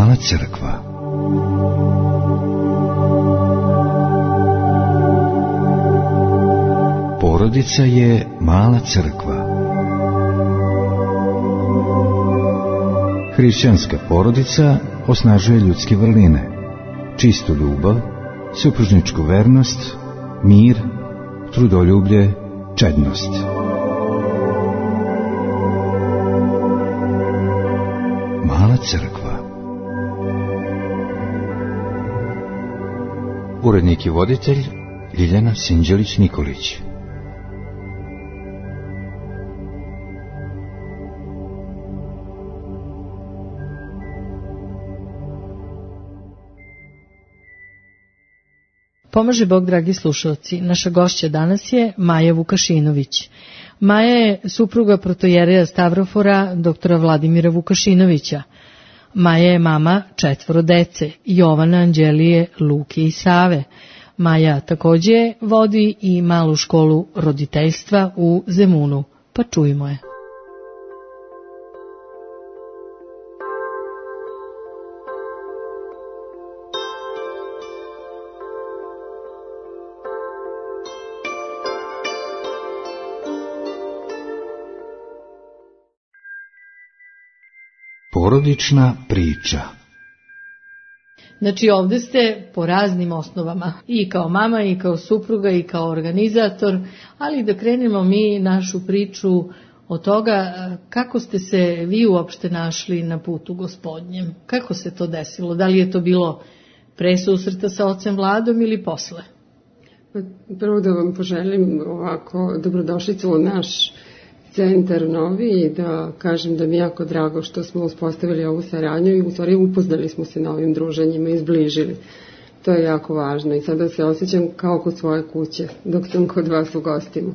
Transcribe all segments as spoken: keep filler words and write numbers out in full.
Mala crkva. Porodica je mala crkva. Hrišćanska porodica osnažuje ljudske vrline, čistu ljubav, supružničku vernost, mir, trudoljublje, čednost. Mala crkva. Urednik i voditelj Ljiljana Sinđelić-Nikolić. Pomaže Bog, dragi slušalci. Naša gošća danas je Maja Vukašinović. Maja je supruga protojereja Stavrofora, doktora Vladimira Vukašinovića. Maja je mama četvoro dece, Jovana, Anđelije, Luke i Save. Maja također vodi i malu školu roditeljstva u Zemunu. Pa čujmo je. Porodična priča. Znači ovdje ste po raznim osnovama, i kao mama, i kao supruga, i kao organizator, ali da krenemo mi našu priču od toga kako ste se vi uopšte našli na putu Gospodnjem. Kako se to desilo? Da li je to bilo pre susreta sa ocem Vladom ili posle? Prvo da vam poželim ovako dobrodošlicu u naš centar novi i da kažem da mi je jako drago što smo uspostavili ovu saradnju i u stvari upoznali smo se na ovim druženjima i zbližili. To je jako važno i sada se osjećam kao kod svoje kuće dok sam kod vas u gostima.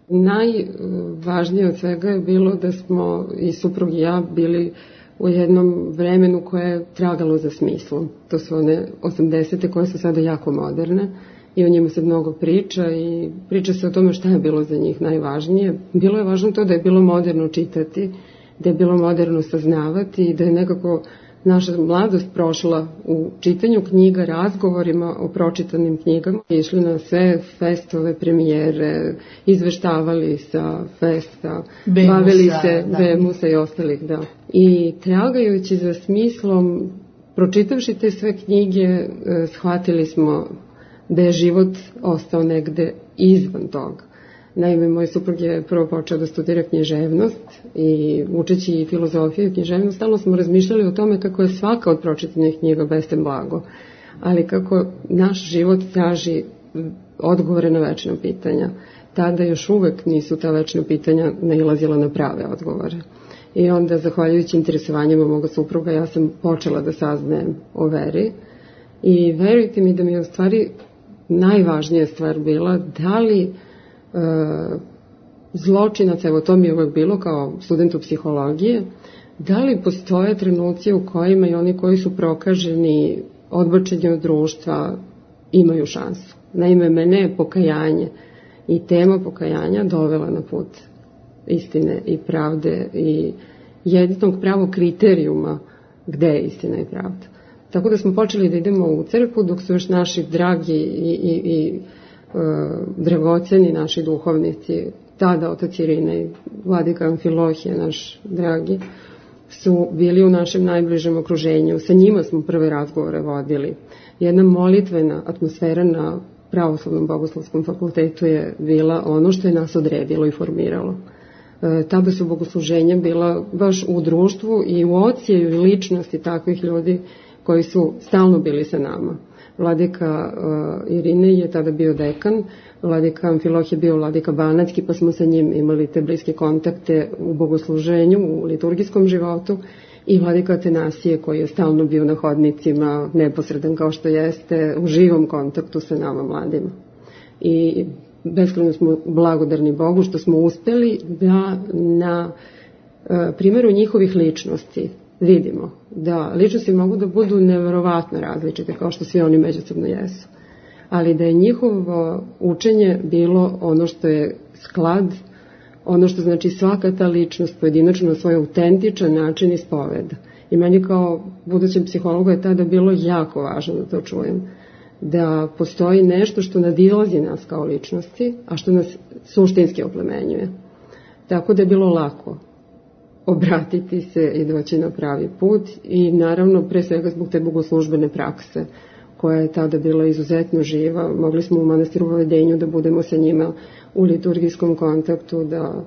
Najvažnije od svega je bilo da smo i suprug i ja bili u jednom vremenu koje je tragalo za smislom. To su one osamdesete koje su sada jako moderne. I o njima se mnogo priča i priča se o tome šta je bilo za njih najvažnije. Bilo je važno to da je bilo moderno čitati, da je bilo moderno saznavati i da je nekako naša mladost prošla u čitanju knjiga, razgovorima o pročitanim knjigama. Išli na sve festove, premijere, izveštavali sa festa, Bemusa, bavili se da. Bemusa i ostalih, da. I tragajući za smislom, pročitavši te sve knjige, shvatili smo da je život ostao negde izvan toga. Naime, moj suprug je prvo počeo da studira književnost i učeći i filozofiju i književnost, stalno smo razmišljali o tome kako je svaka od pročitanih knjiga bestem blago, ali kako naš život traži odgovore na večna pitanja. Tada još uvek nisu ta večna pitanja nailazila na prave odgovore. I onda, zahvaljujući interesovanjima moga supruga, ja sam počela da saznajem o veri i verujte mi da mi je u stvari najvažnija stvar bila da li e, zločinac, evo to mi je uvek bilo kao studentu psihologije, da li postoje trenuci u kojima i oni koji su prokaženi, odbačeni od društva, imaju šansu. Naime, mene je pokajanje i tema pokajanja dovela na put istine i pravde i jedinog pravog kriterijuma gde je istina i pravda. Tako da smo počeli da idemo u crkvu dok su još naši dragi i, i, i e, dragoceni naši duhovnici, tada otac Irina i vladika Amfilohije, naš dragi, su bili u našem najbližem okruženju. Sa njima smo prve razgovore vodili. Jedna molitvena atmosfera na Pravoslavnom bogoslovskom fakultetu je bila ono što je nas odredilo i formiralo. E, tada su bogosluženja bila baš u društvu i u odsjeju i ličnosti takvih ljudi koji su stalno bili sa nama. Vladika uh, Irine je tada bio dekan, vladika Amfilohije je bio vladika Banatski, pa smo sa njim imali te bliske kontakte u bogosluženju, u liturgijskom životu, i vladika Atanasije koji je stalno bio na hodnicima, neposredan kao što jeste, u živom kontaktu sa nama mladima. I beskrajno smo blagodarni Bogu što smo uspeli da na uh, primjeru njihovih ličnosti vidimo da ličnosti mogu da budu neverovatno različite, kao što svi oni međusobno jesu. Ali da je njihovo učenje bilo ono što je sklad, ono što znači svaka ta ličnost pojedinačno na svoj autentičan način ispoveda. I meni kao budućem psihologu je tada bilo jako važno da to čujem. Da postoji nešto što nadilazi nas kao ličnosti, a što nas suštinski oplemenjuje. Tako da je bilo lako obratiti se i doći na pravi put i naravno pre svega zbog te bogoslužbene prakse koja je tada bila izuzetno živa. Mogli smo u manastiru Vavedenju da budemo sa njima u liturgijskom kontaktu, da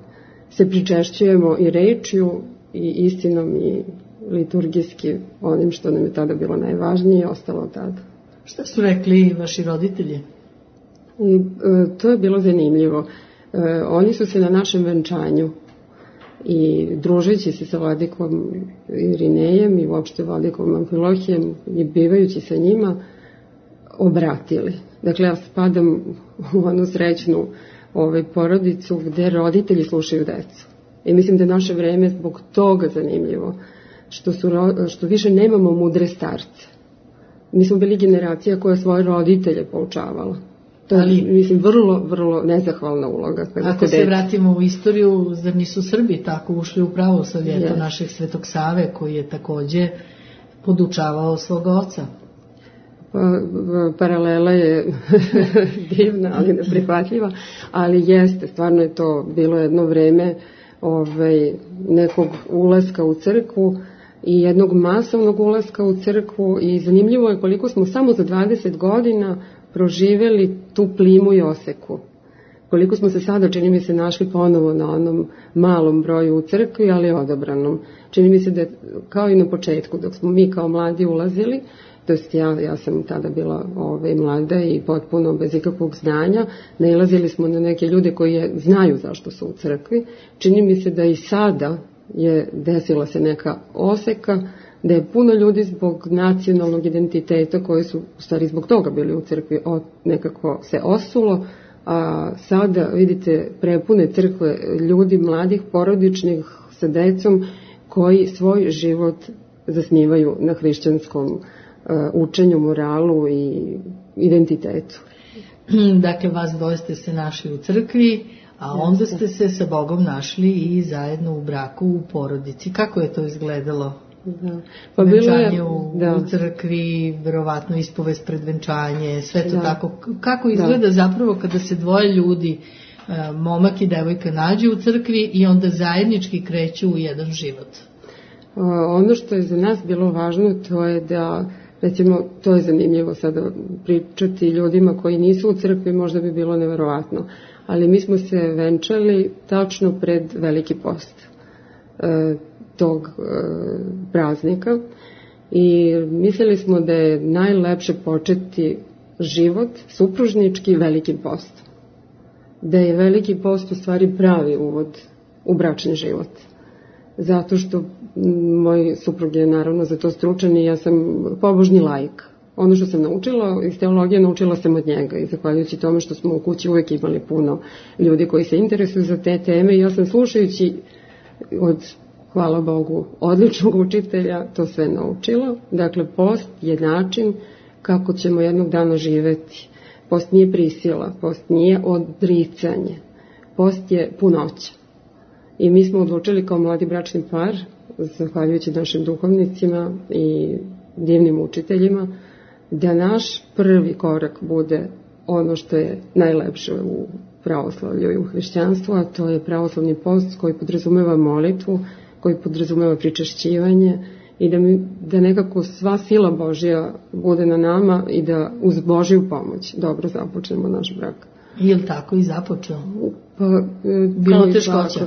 se pričešćujemo i rečju i istinom i liturgijski onim što nam je tada bilo najvažnije i ostalo od tada. Šta su rekli vaši roditelji? I, e, to je bilo zanimljivo. E, oni su se na našem venčanju i družeći se sa vladikom Irinejem i uopšte vladikom Amfilohijem i bivajući sa njima obratili. Dakle, ja spadam u onu srećnu ovaj, porodicu gde roditelji slušaju decu. I mislim da je naše vreme zbog toga zanimljivo, što, su, što više nemamo mudre starce. Mi smo bili generacija koja svoje roditelje poučavala. To je, ali, mislim, vrlo, vrlo nezahvalna uloga. Ako se vratimo u istoriju, zar nisu Srbi tako ušli u pravoslavlje yes. našeg Svetog Save, koji je takođe podučavao svog oca? Pa, paralela je divna, ali neprihvatljiva, ali jeste, stvarno je to bilo jedno vreme ovaj, nekog ulaska u crkvu i jednog masovnog ulaska u crkvu i zanimljivo je koliko smo samo za dvadeset godina proživeli tu plimu i oseku. Koliko smo se sada, čini mi se, našli ponovo na onom malom broju u crkvi, ali odabranom. Čini mi se da je, kao i na početku, dok smo mi kao mladi ulazili, to jest ja, ja sam tada bila ove, mlada i potpuno bez ikakvog znanja, nailazili smo na neke ljude koji je, znaju zašto su u crkvi. Čini mi se da i sada je desila se neka oseka, da je puno ljudi zbog nacionalnog identiteta koji su u stvari zbog toga bili u crkvi nekako se osulo, a sada vidite prepune crkve ljudi mladih, porodičnih sa decom koji svoj život zasnivaju na hrišćanskom uh, učenju, moralu i identitetu. Dakle, vas dvoje ste se našli u crkvi, a onda ste se sa Bogom našli i zajedno u braku u porodici. Kako je to izgledalo? Da. Pa bilo je, u, da. u crkvi, verovatno ispovest pred venčanje, sve to da. Tako. Kako izgleda da. Zapravo kada se dvoje ljudi, momak i devojka, nađu u crkvi i onda zajednički kreću u jedan život? Ono što je za nas bilo važno, to je da, recimo, to je zanimljivo sada pričati ljudima koji nisu u crkvi, možda bi bilo neverovatno, ali mi smo se venčali tačno pred Veliki post e, tog e, praznika i mislili smo da je najlepše početi život supružnički Velikim postom. Da je Veliki post u stvari pravi uvod u bračni život. Zato što moj suprug je naravno za to stručan i ja sam pobožni laik. Ono što sam naučila iz teologije, naučila sam od njega i zahvaljujući tome što smo u kući uvek imali puno ljudi koji se interesuju za te teme i ja sam slušajući od, hvala Bogu, odličnog učitelja to sve naučila. Dakle, post je način kako ćemo jednog dana živeti. Post nije prisila, post nije odricanje, post je punoća. I mi smo odlučili kao mladi bračni par, zahvaljujući našim duhovnicima i divnim učiteljima, da naš prvi korak bude ono što je najlepše u pravoslavlju i u hrišćanstvu, a to je pravoslavni post koji podrazumeva molitvu, koji podrazumeva pričešćivanje i da, mi, da nekako sva sila Božja bude na nama i da uz Božju pomoć dobro započnemo naš brak. Je li tako i započeo? Pa, bilo teškoća?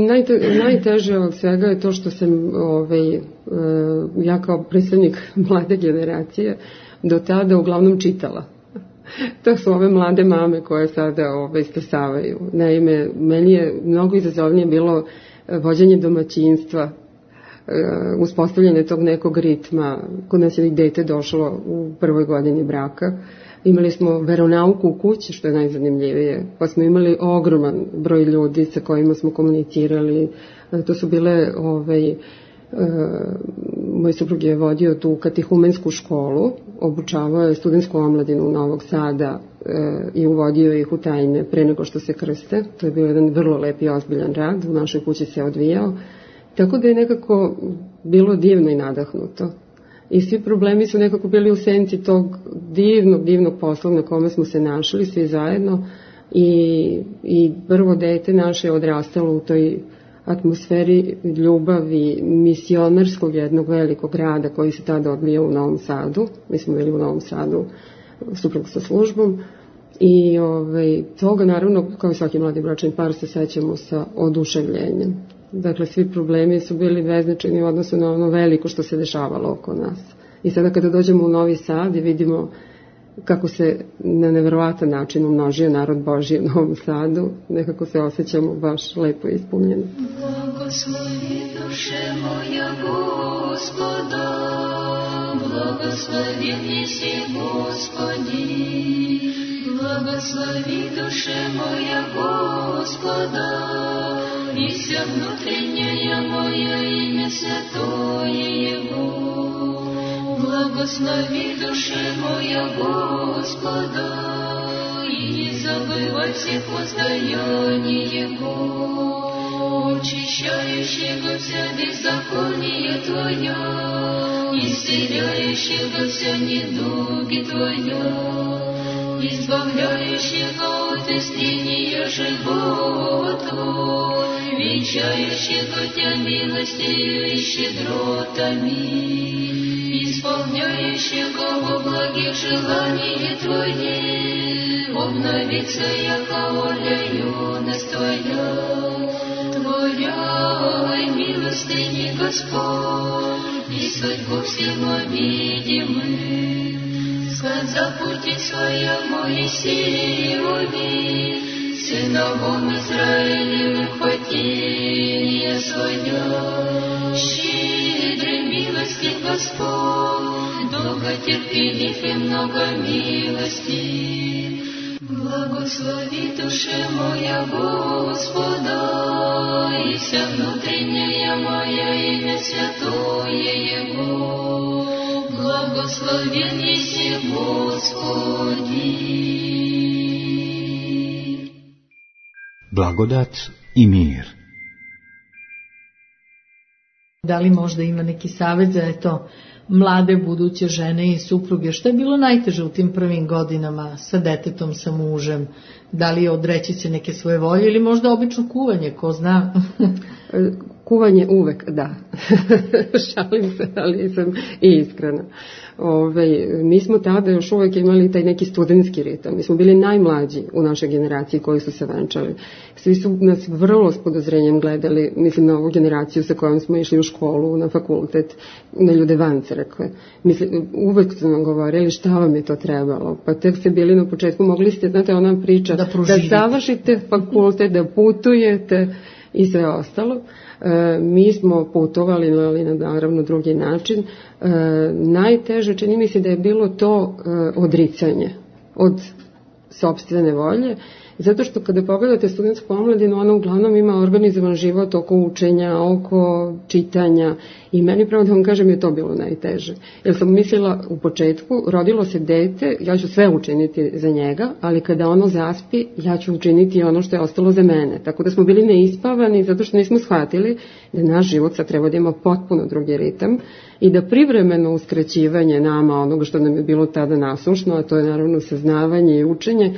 Najte, najteže od svega je to što sam ovaj, ja kao predstavnik mlade generacije do tada uglavnom čitala. To su ove mlade mame koje sada ovaj, stasavaju. Naime, meni je mnogo izazovnije bilo vođenje domaćinstva, uspostavljanje tog nekog ritma. Kod nas je dete došlo u prvoj godini braka. Imali smo veronauku u kući, što je najzanimljivije, pa smo imali ogroman broj ljudi sa kojima smo komunicirali. To su bile, ovaj, e, moj suprug je vodio tu katehumensku školu, obučavao je studentsku omladinu Novog Sada e, i uvodio ih u tajne pre nego što se krste. To je bio jedan vrlo lep i ozbiljan rad, u našoj kući se odvijao. Tako da je nekako bilo divno i nadahnuto. I svi problemi su nekako bili u senci tog divnog, divnog posla na kome smo se našli svi zajedno i, i prvo dete naše je odrastalo u toj atmosferi ljubavi misionarskog jednog velikog rada koji se tada odvijao u Novom Sadu. Mi smo bili u Novom Sadu suprug sa službom i ovaj, toga naravno kao i svaki mladi bračni par se sećamo sa oduševljenjem. Dakle, svi problemi su bili beznačajni u odnosu na ono veliko što se dešavalo oko nas. I sada kada dođemo u Novi Sad i vidimo kako se na neverovatan način umnožio narod Božji u Novom Sadu, nekako se osjećamo baš lepo ispunjeni. Blagoslovi duše moja Gospoda, blagosloveni si Gospodi. Blagoslovi duše moja Gospoda, и вся внутренняя моя имя святое Его. Благослови душе моя Господа, и не забывай всех воздаяний Его, очищающего вся беззаконие Твоя, исцеляющего вся недуги Твоя, избавляющего от истления живота, венчающего Тебя милостью и щедротами, исполняющего во благих желания Твои, обновится яко воля юность Твоя, Твоя милостыни Господь, и судьбу всему видимых. Сказал пути своя Моисееве, сыновом Израилевых хотение свое. Щедрый милости Господь, долготерпелив и много милости. Благослови душе моя Господа, и вся внутренняя моя имя святое Его. Благословен еси Господи. Blagodat i mir. Da li možda ima neki savjet za eto, mlade buduće žene i supruge? Što je bilo najteže u tim prvim godinama sa detetom, sa mužem? Da li je odreći se neke svoje volje ili možda obično kuvanje, ko zna? Kuvanje uvek, da. Šalim se, ali sam i iskrena. Ove, mi smo tada još uvek imali taj neki studentski ritam. Mi smo bili najmlađi u našoj generaciji koji su se venčali. Svi su nas vrlo s podozrenjem gledali, mislim na ovu generaciju sa kojom smo išli u školu, na fakultet, na ljude van crkve. Mislim, uvek su nam govorili šta vam je to trebalo. Pa tek ste bili na početku, mogli ste, znate, ona priča, da, da završite fakultet, da putujete i sve ostalo. E, mi smo putovali, ali na naravno drugi način. E, najteže, čini mi se da je bilo to e, odricanje od sopstvene volje, zato što kada pogledate studentsku omladinu, ona uglavnom ima organizovan život oko učenja, oko čitanja i meni pravo da vam kažem je to bilo najteže. Jer sam mislila u početku, rodilo se dete, ja ću sve učiniti za njega, ali kada ono zaspi, ja ću učiniti ono što je ostalo za mene. Tako da smo bili neispavani zato što nismo shvatili da naš život sad treba da ima potpuno drugi ritam i da privremeno uskraćivanje nama onoga što nam je bilo tada nasušno, a to je naravno saznavanje i učenje,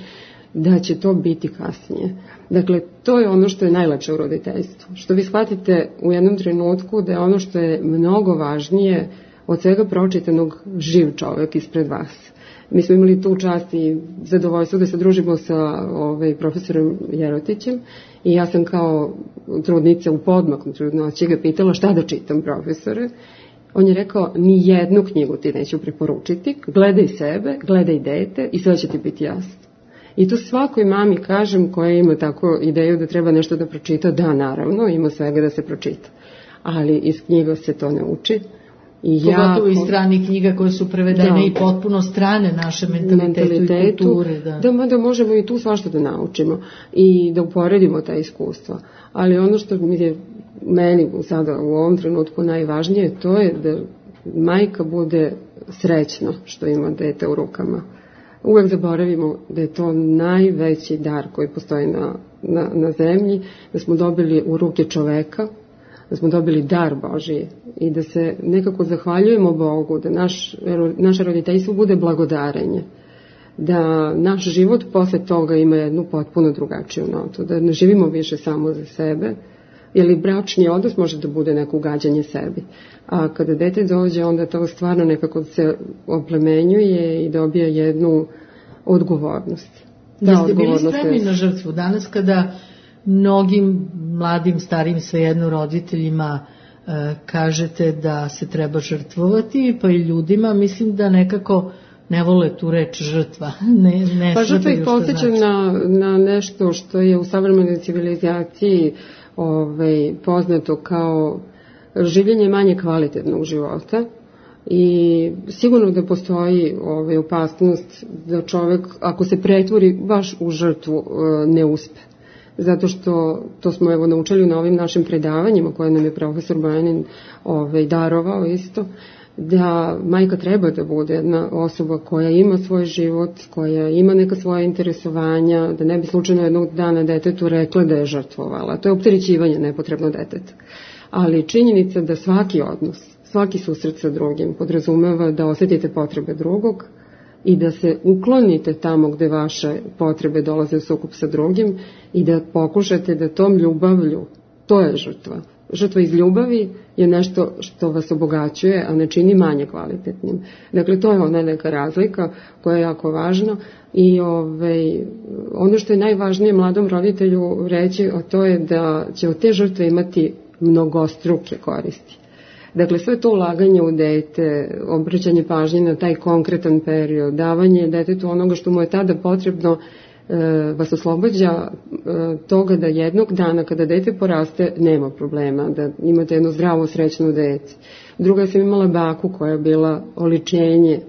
da će to biti kasnije. Dakle, to je ono što je najlepše u roditeljstvu. Što vi shvatite u jednom trenutku da je ono što je mnogo važnije od svega pročitanog živ čovjek ispred vas. Mi smo imali tu čast i zadovoljstvo da se družimo sa ovaj, profesorom Jerotićem i ja sam kao trudnica u podmaknu trudnoći ga pitala šta da čitam, profesore. On je rekao, ni jednu knjigu ti neću preporučiti, gledaj sebe, gledaj dete i sve će ti biti jasno. I to svakoj mami kažem koja ima tako ideju da treba nešto da pročita, da naravno, ima svega da se pročita. Ali iz knjiga se to ne uči. I pogotovo iz stranih knjiga koje su prevedene da, i potpuno strane naše mentalitetu, mentalitetu i kulture. Da. Da, da možemo i tu svašta da naučimo i da uporedimo ta iskustva. Ali ono što mi je meni sada u ovom trenutku najvažnije, to je da majka bude srećna što ima dete u rukama. Uvek zaboravimo da je to najveći dar koji postoji na, na, na zemlji, da smo dobili u ruke čoveka, da smo dobili dar Božiji i da se nekako zahvaljujemo Bogu, da naš, naše roditeljstvo bude blagodarenje, da naš život posle toga ima jednu potpuno drugačiju notu, da ne živimo više samo za sebe, jer bračni odnos može da bude neko ugađanje sebi. A kada dete dođe, onda to stvarno nekako se oplemenjuje i dobija jednu odgovornost. Da, jeste bili spremni na žrtvu danas kada mnogim mladim, starim, svejedno roditeljima e, kažete da se treba žrtvovati, pa i ljudima, mislim da nekako ne vole tu reč žrtva. Ne, ne pa žrtva ih podsjeća znači. na, na nešto što je u savremenoj civilizaciji ovaj, poznato kao življenje manje kvalitetnog života i sigurno da postoji ovaj, opasnost da čovek, ako se pretvori baš u žrtvu, ne uspe. Zato što to smo evo naučili na ovim našim predavanjima koje nam je profesor Bojanin ovaj, darovao isto, da majka treba da bude jedna osoba koja ima svoj život, koja ima neka svoja interesovanja, da ne bi slučajno jednog dana detetu rekla da je žrtvovala. To je opterećivanje nepotrebno deteta. Ali činjenica da svaki odnos, svaki susret sa drugim podrazumeva da osetite potrebe drugog i da se uklonite tamo gde vaše potrebe dolaze u sukob sa drugim i da pokušate da tom ljubavlju, to je žrtva. Žrtva iz ljubavi je nešto što vas obogaćuje, a ne čini manje kvalitetnim. Dakle, to je ona neka razlika koja je jako važna i ovaj, ono što je najvažnije mladom roditelju reći, a to je da će od te žrtve imati mnogostruke koristi. Dakle, sve to ulaganje u dete, obraćanje pažnje na taj konkretan period, davanje detetu onoga što mu je tada potrebno, vas oslobađa toga da jednog dana kada dete poraste nema problema, da imate jedno zdravo, srećno dete. Druga, sam imala baku koja je bila oličenje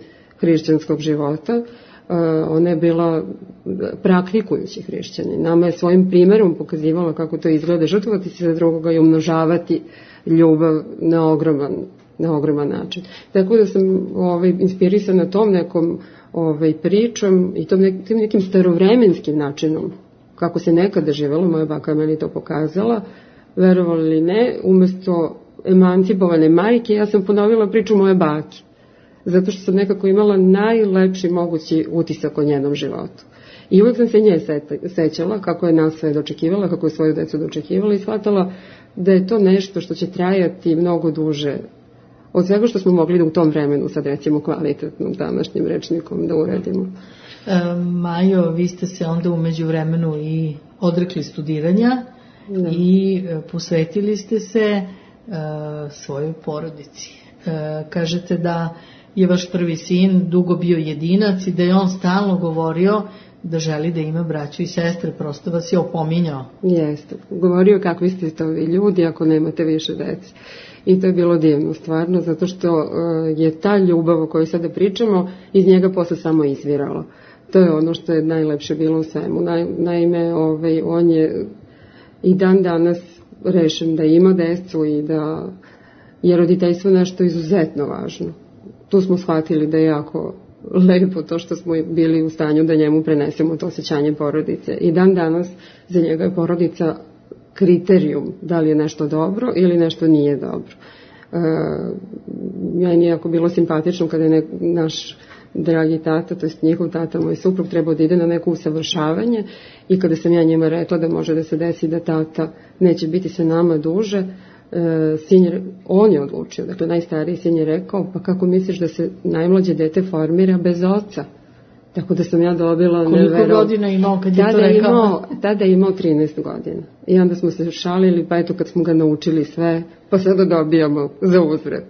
hrišćanskog života. Ona je bila praktikujući hrišćanin. Nama je svojim primjerom pokazivala kako to izgleda, žrtvovati se za drugoga i umnožavati ljubav na ogroman, na ogroman način. Tako da sam ovaj, inspirisana tom nekom ovaj, pričom i tom nekim, tim nekim starovremenskim načinom kako se nekada živelo, moja baka je meni to pokazala, verovali ili ne, umesto emancipovane majke, ja sam ponovila priču moje bake, zato što sam nekako imala najlepši mogući utisak o njenom životu. I uvijek sam se nje sećala kako je nas sve dočekivala, kako je svoju decu dočekivala i shvatala da je to nešto što će trajati mnogo duže od svega što smo mogli da u tom vremenu, sad recimo kvalitetnom današnjim rečnikom, da uradimo. E, Majo, vi ste se onda umeđu vremenu i odrekli studiranja da. i posvetili ste se e, svojoj porodici. E, kažete da je vaš prvi sin dugo bio jedinac i da je on stalno govorio da želi da ima braću i sestre, prosto vas je opominjao. Jeste, govorio kakvi ste to vi ljudi ako nemate više dece. I to je bilo divno stvarno, zato što uh, je ta ljubav o kojoj sada pričamo iz njega posle samo izvirala. To je ono što je najlepše bilo u svemu. Na, naime, ovaj, on je i dan danas rešen da ima decu i da je roditeljstvo nešto izuzetno važno. Tu smo shvatili da je jako lepo to što smo bili u stanju da njemu prenesemo to osjećanje porodice. I dan danas za njega je porodica kriterijum da li je nešto dobro ili nešto nije dobro. E, meni je jako bilo simpatično kada je ne, naš dragi tata, to je njihov tata, moj suprug, trebao da ide na neko usavršavanje i kada sam ja njima rekla da može da se desi da tata neće biti sa nama duže, e, sin je, on je odlučio, dakle najstariji sin je rekao, pa kako misliš da se najmlađe dete formira bez oca? Tako da sam ja dobila... Koliko nevero... godina imao kad je tada to rekao? Imao, tada je imao trinaest godina. I onda smo se šalili, pa eto kad smo ga naučili sve, pa sada dobijamo za uzvrat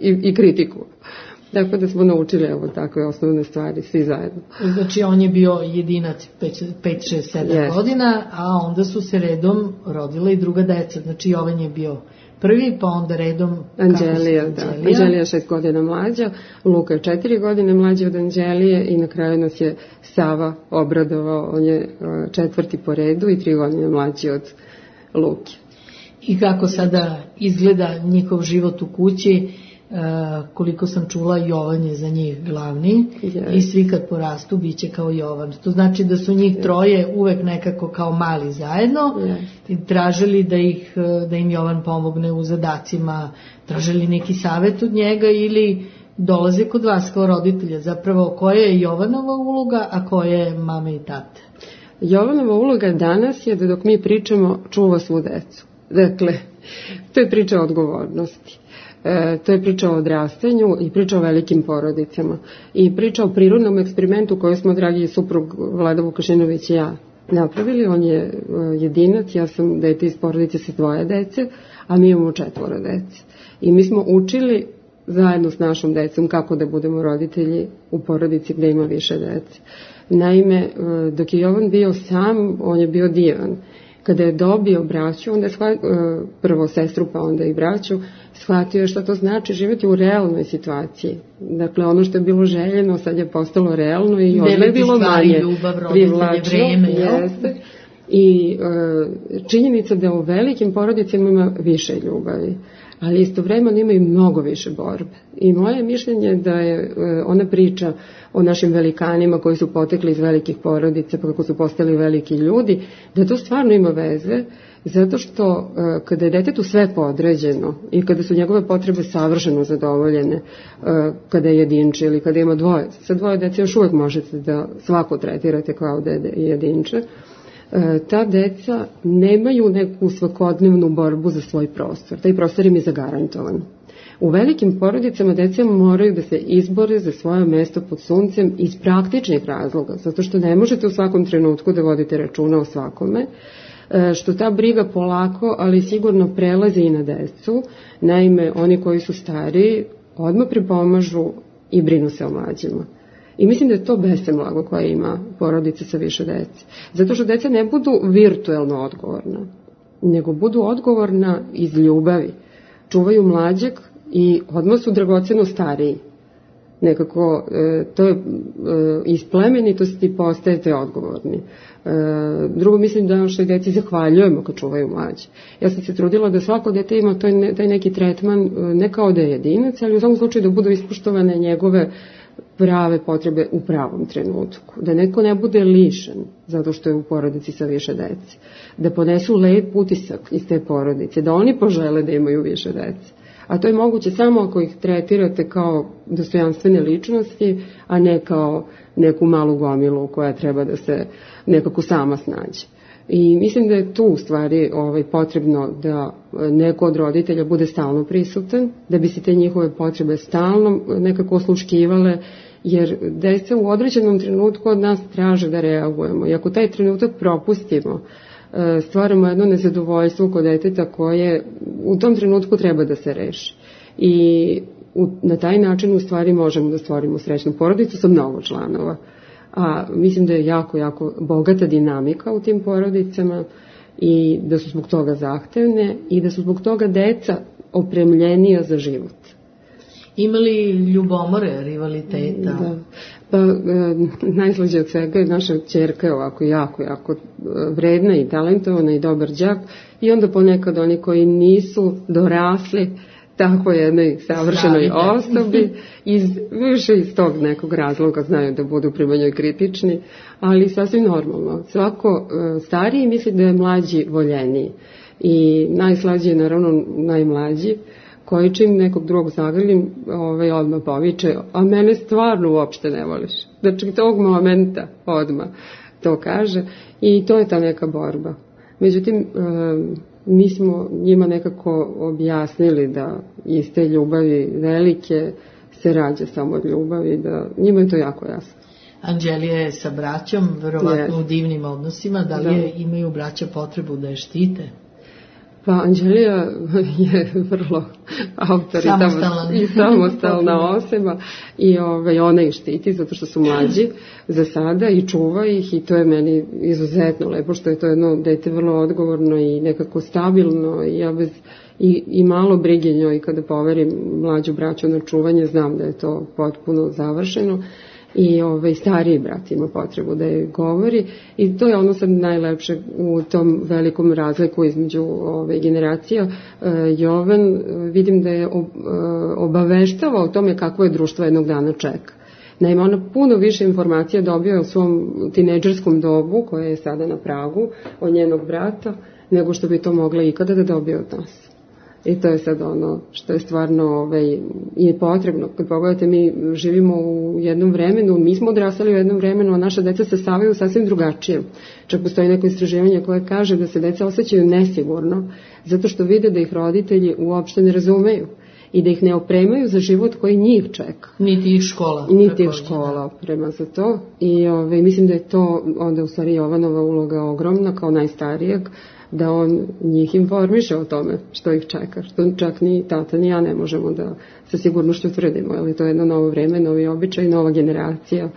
i, i kritiku. Tako da smo naučili evo takve osnovne stvari, svi zajedno. Znači on je bio jedinac pet, šest, sedam yes. godina, a onda su se redom rodila i druga deca. Znači Jovan je bio prvi, pa onda redom... Anđelija, da. Anđelija? Anđelija šest godina mlađa, Luka je četiri godine mlađi od Anđelije i na kraju nas je Sava obradovao, on je četvrti po redu i tri godine mlađi od Luke. I kako sada izgleda njihov život u kući, koliko sam čula, Jovan je za njih glavni yes. i svi kad porastu bit će kao Jovan. To znači da su njih troje uvek nekako kao mali zajedno yes. i tražili da, ih, da im Jovan pomogne u zadacima, tražili neki savjet od njega ili dolaze kod vas kao roditelja. Zapravo, koja je Jovanova uloga, a koja je mame i tate? Jovanova uloga danas je da dok mi pričamo čuva svu decu. Dakle, to je priča o odgovornosti. E, to je priča o odrastanju i priča o velikim porodicama. I priča o prirodnom eksperimentu koju smo, dragi suprug Vlada Vukašinović i ja, napravili. On je e, jedinac, ja sam dete iz porodice sa dvoje dece, a mi imamo četvoro dece. I mi smo učili zajedno s našom decom kako da budemo roditelji u porodici gde ima više dece. Naime, dok je Jovan bio sam, on je bio divan. Kada je dobio braću, onda je shvatio, prvo sestru pa onda i braću, shvatio je šta to znači živjeti u realnoj situaciji. Dakle, ono što je bilo željeno sad je postalo realno i odle je bilo manje privlačno. Jeste. I e, činjenica da u velikim porodicama ima više ljubavi, ali istovremeno ima i mnogo više borbe. I moje mišljenje da je e, ona priča o našim velikanima koji su potekli iz velikih porodica, pa kako su postali veliki ljudi, da to stvarno ima veze, zato što e, kada je detetu sve podređeno i kada su njegove potrebe savršeno zadovoljene, e, kada je jedinče ili kada ima dvoje, sa dvoje dece još uvek možete da svako tretirate kao dede i jedinče, ta deca nemaju neku svakodnevnu borbu za svoj prostor. Taj prostor im je zagarantovan. U velikim porodicama deca moraju da se izbore za svoje mesto pod suncem iz praktičnih razloga, zato što ne možete u svakom trenutku da vodite računa o svakome, što ta briga polako, ali sigurno prelazi i na decu. Naime, oni koji su stariji odmah pripomažu i brinu se o mlađima. I mislim da je to besemblago koje ima porodica sa više dece. Zato što deca ne budu virtuelno odgovorna, nego budu odgovorna iz ljubavi. Čuvaju mlađeg i odmah su dragoceno stariji. Nekako, e, to je e, iz plemenitosti postajete odgovorni. E, drugo, mislim da našoj deci zahvaljujemo kad čuvaju mlađe. Ja sam se trudila da svako dete ima taj, ne, taj neki tretman, ne kao da je jedinac, ali u svakom slučaju da budu ispoštovane njegove prave potrebe u pravom trenutku. Da neko ne bude lišen zato što je u porodici sa više dece. Da ponesu lep utisak iz te porodice. Da oni požele da imaju više dece. A to je moguće samo ako ih tretirate kao dostojanstvene ličnosti, a ne kao neku malu gomilu koja treba da se nekako sama snađe. I mislim da je tu u stvari ovaj, potrebno da neko od roditelja bude stalno prisutan, da bi se te njihove potrebe stalno nekako osluškivale, jer deca u određenom trenutku od nas traže da reagujemo. I ako taj trenutak propustimo, stvaramo jedno nezadovoljstvo kod deteta koje u tom trenutku treba da se reši. I u, na taj način u stvari možemo da stvorimo srećnu porodicu sa mnogo članova. A mislim da je jako, jako bogata dinamika u tim porodicama i da su zbog toga zahtevne i da su zbog toga deca opremljenija za život. Ima li ljubomore, rivaliteta? Da. Pa e, najslađe od svega je naša ćerka ovako jako, jako vredna i talentovana i dobar đak i onda ponekad oni koji nisu dorasli tako jednoj savršenoj osobi, iz, više iz tog nekog razloga znaju da budu prema njoj kritični, ali sasvim normalno. Svako e, stariji misli da je mlađi voljeniji i najslađi je naravno najmlađi, koji čim nekog drugog zagrlim, ovaj, odmah poviče, a mene stvarno uopšte ne voliš. Znači, tog momenta odmah to kaže i to je ta neka borba. Međutim, e, mi smo njima nekako objasnili da iz te ljubavi velike se rađa samo od ljubavi, da njima je to jako jasno. Anđelija je sa braćom, verovatno yes. u divnim odnosima, da li da. Je, imaju braća potrebu da je štite? Pa Anđelija je vrlo autoritarna i samostalna osoba i ovaj, ona ih štiti zato što su mlađi za sada i čuva ih i to je meni izuzetno lepo što je to jedno dete vrlo odgovorno i nekako stabilno i ja bez i, i malo brige njoj kada poverim mlađu braću na čuvanje znam da je to potpuno završeno i ovaj, stariji brat ima potrebu da je govori i to je ono sad najlepše u tom velikom razliku između ove generacija. E, Jovan vidim da je obaveštava o tome kako je društvo jednog dana čeka. Naime, ona puno više informacija dobio u svom tinejdžerskom dobu, koje je sada na pragu, od njenog brata, nego što bi to mogla ikada da dobije od nas. I to je sad ono što je stvarno ovaj, je potrebno. Kad pogledate, mi živimo u jednom vremenu, mi smo odrastali u jednom vremenu, a naša deca se stavaju sasvim drugačije. Čak postoji neko istraživanje koje kaže da se deca osjećaju nesigurno, zato što vide da ih roditelji uopšte ne razumeju i da ih ne opremaju za život koji njih čeka. Niti ih škola. Niti ih škola oprema za to. I ovaj, mislim da je to onda u stvari Jovanova uloga ogromna kao najstarijeg, da on njih informiše o tome što ih čeka, što čak ni tata ni ja ne možemo da sa sigurnošću tvrdimo, ali to je jedno novo vreme, novi običaj, nova generacija. E,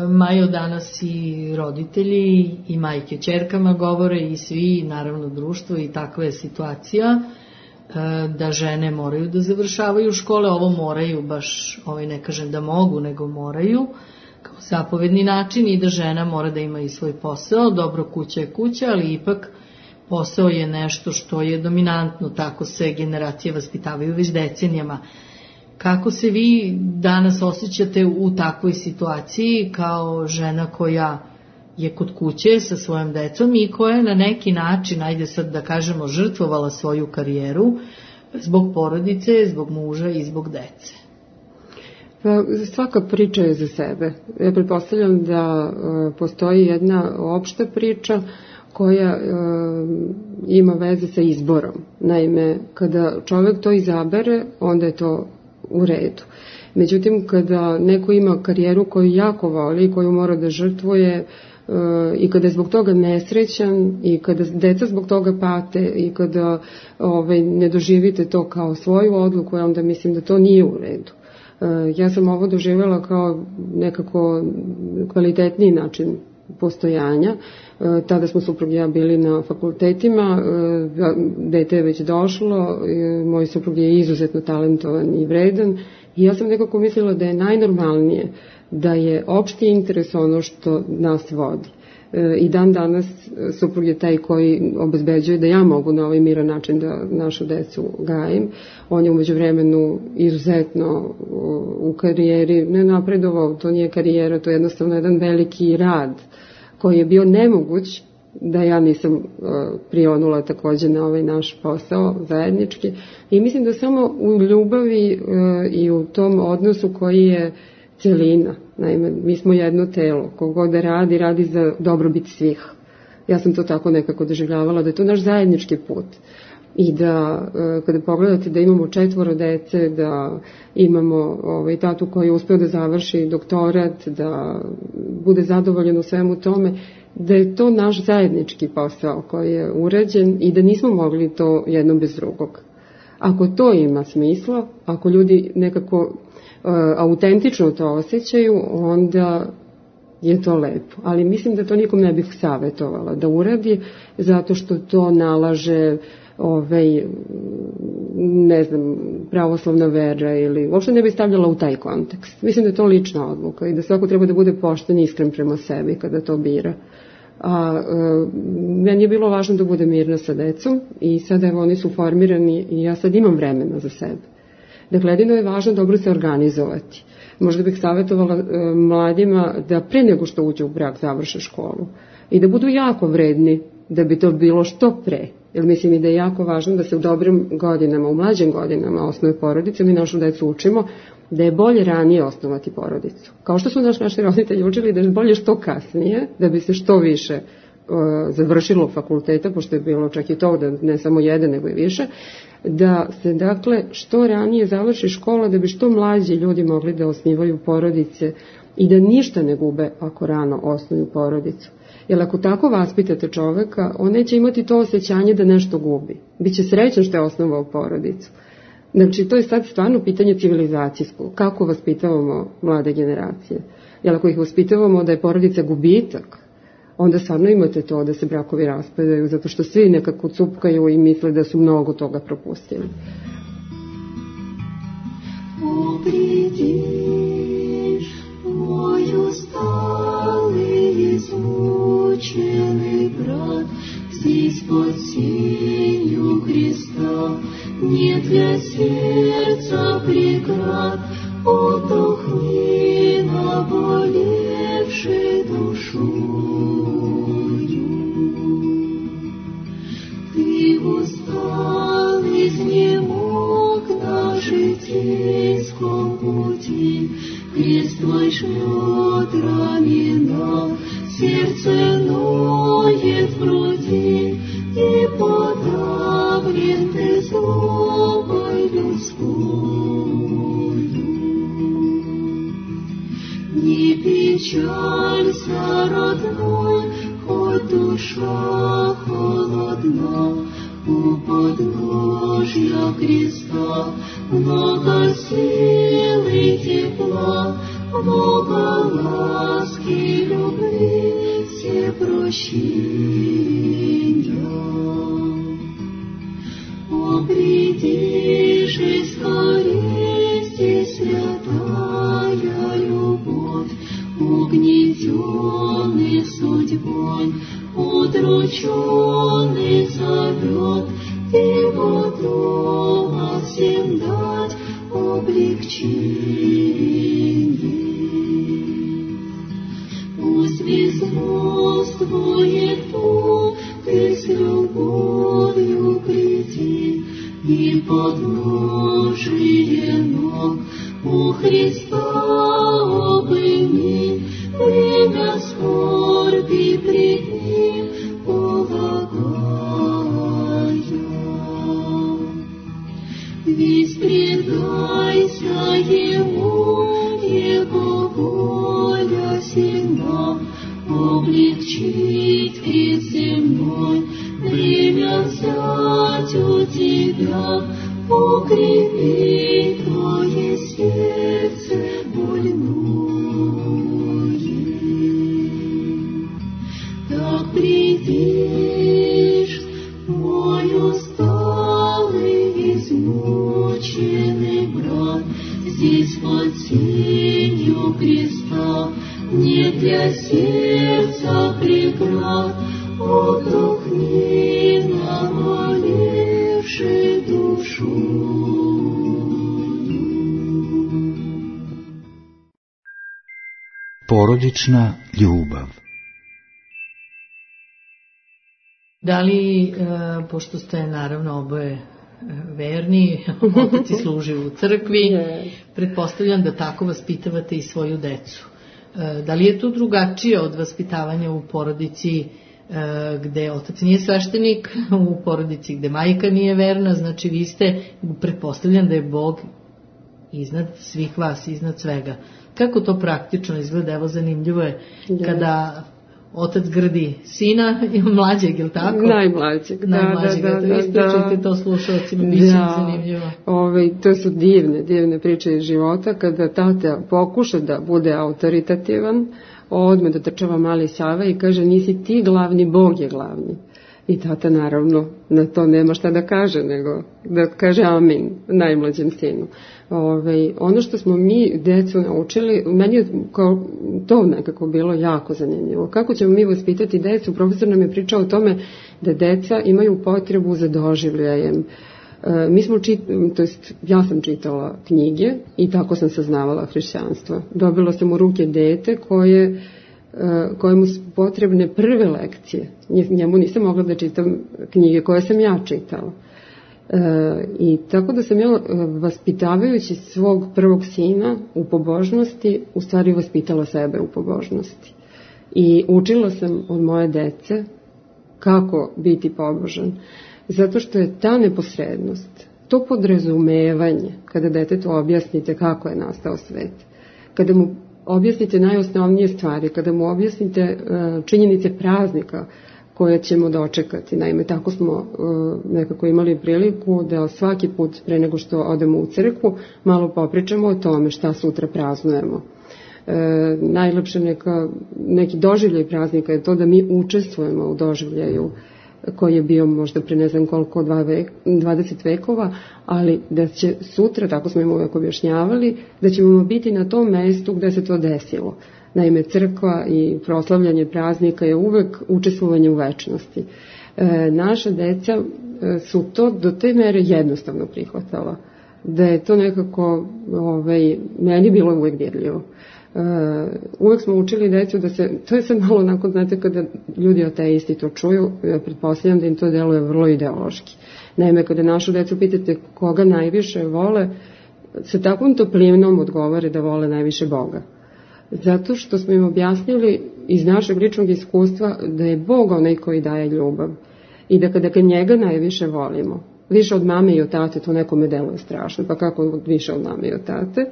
Majo, danas i roditelji i majke ćerkama govore i svi, naravno društvo, i takva je situacija e, da žene moraju da završavaju škole, ovo moraju baš, ovaj ne kažem da mogu, nego moraju, kao zapovedni način, i da žena mora da ima i svoj posao. Dobro, kuća je kuća, ali ipak posao je nešto što je dominantno, tako se generacije vaspitavaju već decenijama. Kako se vi danas osjećate u takvoj situaciji kao žena koja je kod kuće sa svojom decom i koja je na neki način, ajde sad da kažemo, žrtvovala svoju karijeru zbog porodice, zbog muža i zbog dece? Pa, svaka priča je za sebe. Ja pretpostavljam da uh, postoji jedna opšta priča koja uh, ima veze sa izborom. Naime, kada čovjek to izabere, onda je to u redu. Međutim, kada neko ima karijeru koju jako voli i koju mora da žrtvuje uh, i kada je zbog toga nesrećan i kada deca zbog toga pate i kada ovaj, ne doživite to kao svoju odluku, onda mislim da to nije u redu. Ja sam ovo doživjela kao nekako kvalitetniji način postojanja. Tada smo suprug i ja bili na fakultetima, dete je već došlo, moj suprug je izuzetno talentovan i vredan i ja sam nekako mislila da je najnormalnije da je opšti interes ono što nas vodi. I dan danas suprug je taj koji obezbeđuje da ja mogu na ovaj miran način da našu decu gajim. On je umeđu vremenu izuzetno u karijeri ne napredovao, to nije karijera, to je jednostavno jedan veliki rad koji je bio nemoguć da ja nisam prionula takođe na ovaj naš posao zajednički. I mislim da samo u ljubavi i u tom odnosu koji je celina. Naime, mi smo jedno telo, kogod da radi, radi za dobrobit svih. Ja sam to tako nekako doživljavala, da je to naš zajednički put. I da, kada pogledate da imamo četvoro dece, da imamo ovaj, tatu koji je uspeo da završi doktorat, da bude zadovoljan u svemu tome, da je to naš zajednički posao koji je urađen i da nismo mogli to jedno bez drugog. Ako to ima smisla, ako ljudi nekako autentično to osjećaju, onda je to lepo. Ali mislim da to nikom ne bih savjetovala da uradi, zato što to nalaže ovaj, ne znam, pravoslavna vera ili uopšte ne bih stavljala u taj kontekst. Mislim da je to lična odluka i da svako treba da bude pošten i iskren prema sebi kada to bira. A e, meni je bilo važno da bude mirna sa decom i sada evo oni su formirani i ja sad imam vremena za sebe. Dakle, jedino je važno dobro se organizovati. Možda bih savjetovala e, mladima da pre nego što uđe u brak završe školu i da budu jako vredni da bi to bilo što pre. Jer mislim i da je jako važno da se u dobrim godinama, u mlađim godinama osnuje porodice. Mi našu decu učimo da je bolje ranije osnovati porodicu. Kao što su naš, naši roditelji učili da je bolje što kasnije, da bi se što više e, završilo fakulteta, pošto je bilo čak i to da ne samo jedan nego i više, da se dakle što ranije završi škola da bi što mlađi ljudi mogli da osnivaju porodice i da ništa ne gube ako rano osnuju porodicu. Jer ako tako vaspitate čoveka, on neće imati to osjećanje da nešto gubi. Biće srećan što je osnovao porodicu. Znači, to je sad stvarno pitanje civilizacijsko. Kako vaspitavamo mlade generacije? Jer ako ih vaspitavamo da je porodica gubitak, onda stvarno imate to da se brakovi raspadaju, zato što svi nekako cupkaju i misle da su mnogo toga propustili. Upridi, Мой усталый, измученный брат, здесь под сенью креста нет для сердца преград. Отдохни, наболевшей душою. Ты устал, изнемог на житейском пути, крест твой жмет рамена, сердце ноет в груди, и подавлен ты злобой людской. Не печалься, родной, хоть душа холодна, у подножья креста много сил и тепла, много ласки, любви, все прощения. О, приди же скорее, здесь святая любовь, угнетенный судьбой, удрученный зовет, его дома всем дать облегчение. Пусть безмолвствует Бог, ты с любовью приди, и подножие ног у Христа обыми, время скорби пред Ним полагая. Весь предайся Ему, Его воля сильна, облегчить крест земной, время взять у тебя, укрепи твое сердце больное. Так придишь, мой усталый, измученный брат, здесь под сенью креста нет для сердца преград. Отдохни, наболевшей душу. Porodična ljubav. Da li, e, pošto ste naravno oboje verni, otac i služi u crkvi, pretpostavljam da tako vaspitavate i svoju decu. E, da li je to drugačije od vaspitavanja u porodici gde otac nije sveštenik, u porodici gde majka nije verna, znači vi ste, pretpostavljam da je Bog iznad svih vas, iznad svega. Kako to praktično izgleda? Evo, zanimljivo je kada otac grdi sina, mlađeg, ili tako? Najmlađeg, da, Najmlađeg, da, da, da. Ispričajte da, to slušalcima, bit će da, zanimljivo. Ove, to su divne, divne priče iz života, kada tata pokuša da bude autoritativan, odmah dotrčava mali Sava i kaže, nisi ti glavni, Bog je glavni. I tata naravno na to nema šta da kaže, nego da kaže amin najmlađem sinu. Ove, ono što smo mi decu naučili, meni je kao to nekako bilo jako zanimljivo. Kako ćemo mi vaspitati decu? Profesor nam je pričao o tome da deca imaju potrebu za doživljajem. E, mi smo čit, to jest ja sam čitala knjige i tako sam saznavala hrišćanstvo. Dobila sam u ruke dete koje kojemu su potrebne prve lekcije. Njemu nisam mogla da čitam knjige koje sam ja čitala. E, I tako da sam ja, vaspitavajući svog prvog sina u pobožnosti, u stvari vaspitala sebe u pobožnosti. I učila sam od moje dece kako biti pobožan. Zato što je ta neposrednost, to podrazumevanje, kada detetu objasnite kako je nastao svet, kada mu objasnite najosnovnije stvari, kada mu objasnite činjenice praznika koje ćemo dočekati. Naime, tako smo nekako imali priliku da svaki put pre nego što odemo u crkvu malo popričamo o tome šta sutra praznujemo. E, najlepše neka, neki doživljaj praznika je to da mi učestvujemo u doživljaju koji je bio možda pre ne znam koliko dvadeset vekova, ali da će sutra, tako smo im uvek objašnjavali, da ćemo biti na tom mestu gde se to desilo. Naime, crkva i proslavljanje praznika je uvek učestvovanje u večnosti. E, naša deca su to do te mere jednostavno prihvatala, da je to nekako ovaj, meni bilo uvek dirljivo. Uh, uvek smo učili decu da se, to je sad malo onako, znate, kada ljudi ateisti to čuju, ja pretpostavljam da im to deluje vrlo ideološki. Naime, kada našu decu pitate koga najviše vole, sa takvom toplinom odgovore da vole najviše Boga. Zato što smo im objasnili iz našeg ličnog iskustva da je Bog onaj koji daje ljubav i da kada njega najviše volimo, više od mame i od tate, to nekome deluje strašno, pa kako više od mame i od tate.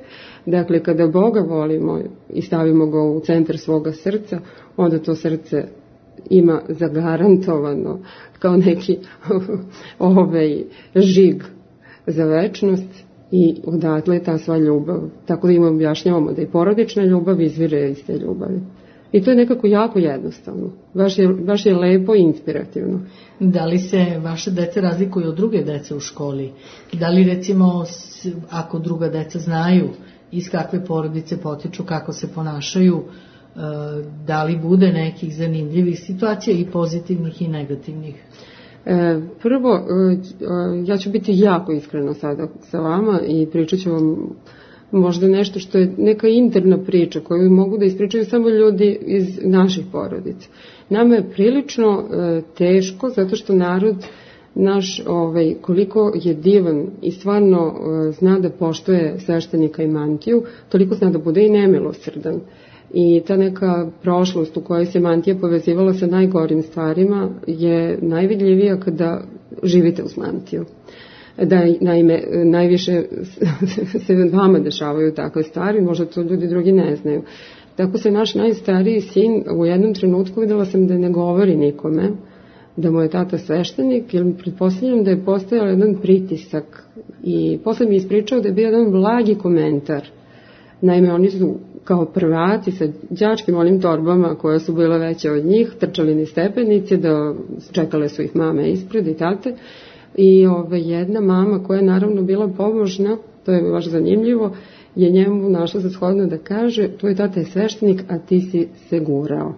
Dakle, kada Boga volimo i stavimo ga u centar svoga srca, onda to srce ima zagarantovano kao neki ovaj žig za večnost i odatle je ta sva ljubav. Tako da im objašnjavamo da i porodična ljubav izvire iz te ljubavi. I to je nekako jako jednostavno. Baš je, baš je lepo i inspirativno. Da li se vaše dece razlikuju od druge dece u školi? Da li recimo, ako druga deca znaju iz kakve porodice potiču, kako se ponašaju, da li bude nekih zanimljivih situacija i pozitivnih i negativnih? E, prvo, ja ću biti jako iskrena sada sa vama i pričat ću vam možda nešto što je neka interna priča koju mogu da ispričaju samo ljudi iz naših porodica. Nama je prilično e, teško zato što narod naš, ovaj, koliko je divan i stvarno e, zna da poštuje sveštenika i mantiju, toliko zna da bude i nemilosrdan. I ta neka prošlost u kojoj se mantija povezivala sa najgorim stvarima je najvidljivija kada živite uz mantiju. Da, naime, najviše se vama dešavaju takve stvari, možda to ljudi drugi ne znaju. Tako se naš najstariji sin u jednom trenutku videla sam da ne govori nikome, da mu je tata sveštenik, jer pretpostavljam da je postojao jedan pritisak i posle mi ispričao da je bio jedan blagi komentar. Naime, oni su kao prvaci sa đačkim onim torbama koje su bile veće od njih, trčali niz stepenice, da čekale su ih mame ispred i tate. I ove, jedna mama koja je naravno bila pomožna, to je baš zanimljivo, je njemu našla za shodno da kaže: tvoj tata je sveštenik, a ti si se gurao.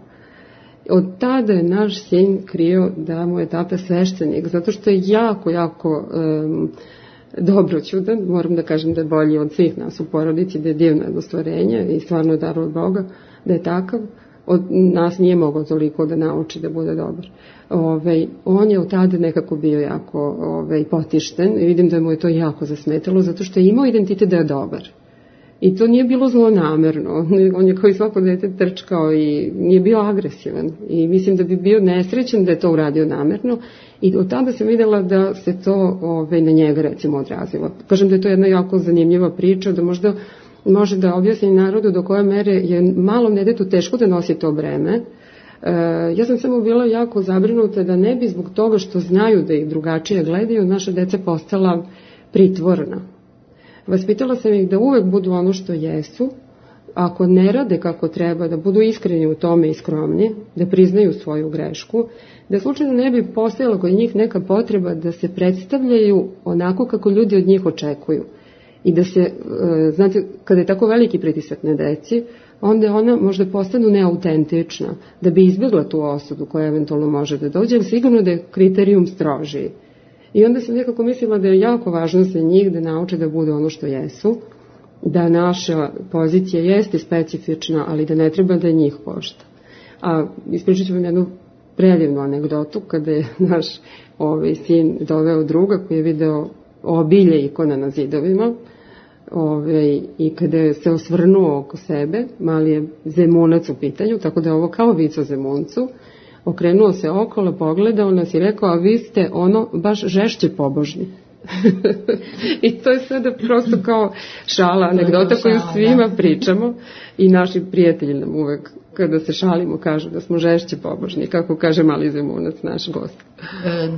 Od tada je naš sin krio da mu je tata sveštenik, zato što je jako, jako um, dobroćudan, moram da kažem da je bolji od svih nas u porodici, da je divno jedno stvorenje i stvarno je dar od Boga, da je takav. Od nas nije mogao toliko da nauči da bude dobar. Ove, on je od tada nekako bio jako ove, potišten i vidim da mu je to jako zasmetalo zato što je imao identitet da je dobar. I to nije bilo zlonamerno. On je kao i svako dete trčkao i nije bio agresivan. I mislim da bi bio nesrećan da je to uradio namerno. I od tada sam videla da se to ove, na njega recimo odrazilo. Kažem da je to jedna jako zanimljiva priča, da možda može da objasni narodu do koje mere je malom detetu teško da nosi to breme. E, ja sam samo bila jako zabrinuta da ne bi zbog toga što znaju da ih drugačije gledaju, naša deca postala pritvorna. Vaspitala sam ih da uvek budu ono što jesu, ako ne rade kako treba, da budu iskreni u tome i skromni, da priznaju svoju grešku, da slučajno ne bi postojala kod njih neka potreba da se predstavljaju onako kako ljudi od njih očekuju. I da se, znate, kada je tako veliki pritisak na deci, onda ona možda postanu neautentična, da bi izbjegla tu osudu koja eventualno može da dođe, ali sigurno da je kriterijum strožiji. I onda sam nekako mislila da je jako važno za njih da nauče da budu ono što jesu, da naša pozicija jeste specifična, ali da ne treba da njih košta. A ispričat ću vam jednu predivnu anegdotu, kada je naš ovaj, sin doveo druga koji je video obilje ikona na zidovima, ove, i kada je se osvrnuo oko sebe, mali je zemunac u pitanju, tako da je ovo kao vic o zemuncu, okrenuo se okolo, pogledao nas i rekao: a vi ste ono baš žešće pobožni. I to je sada prosto kao šala, anegdota koju svima pričamo i naši prijatelji nam uvek kada se šalimo kažu da smo žešće pobožni, kako kaže mali zemunac, naš gost.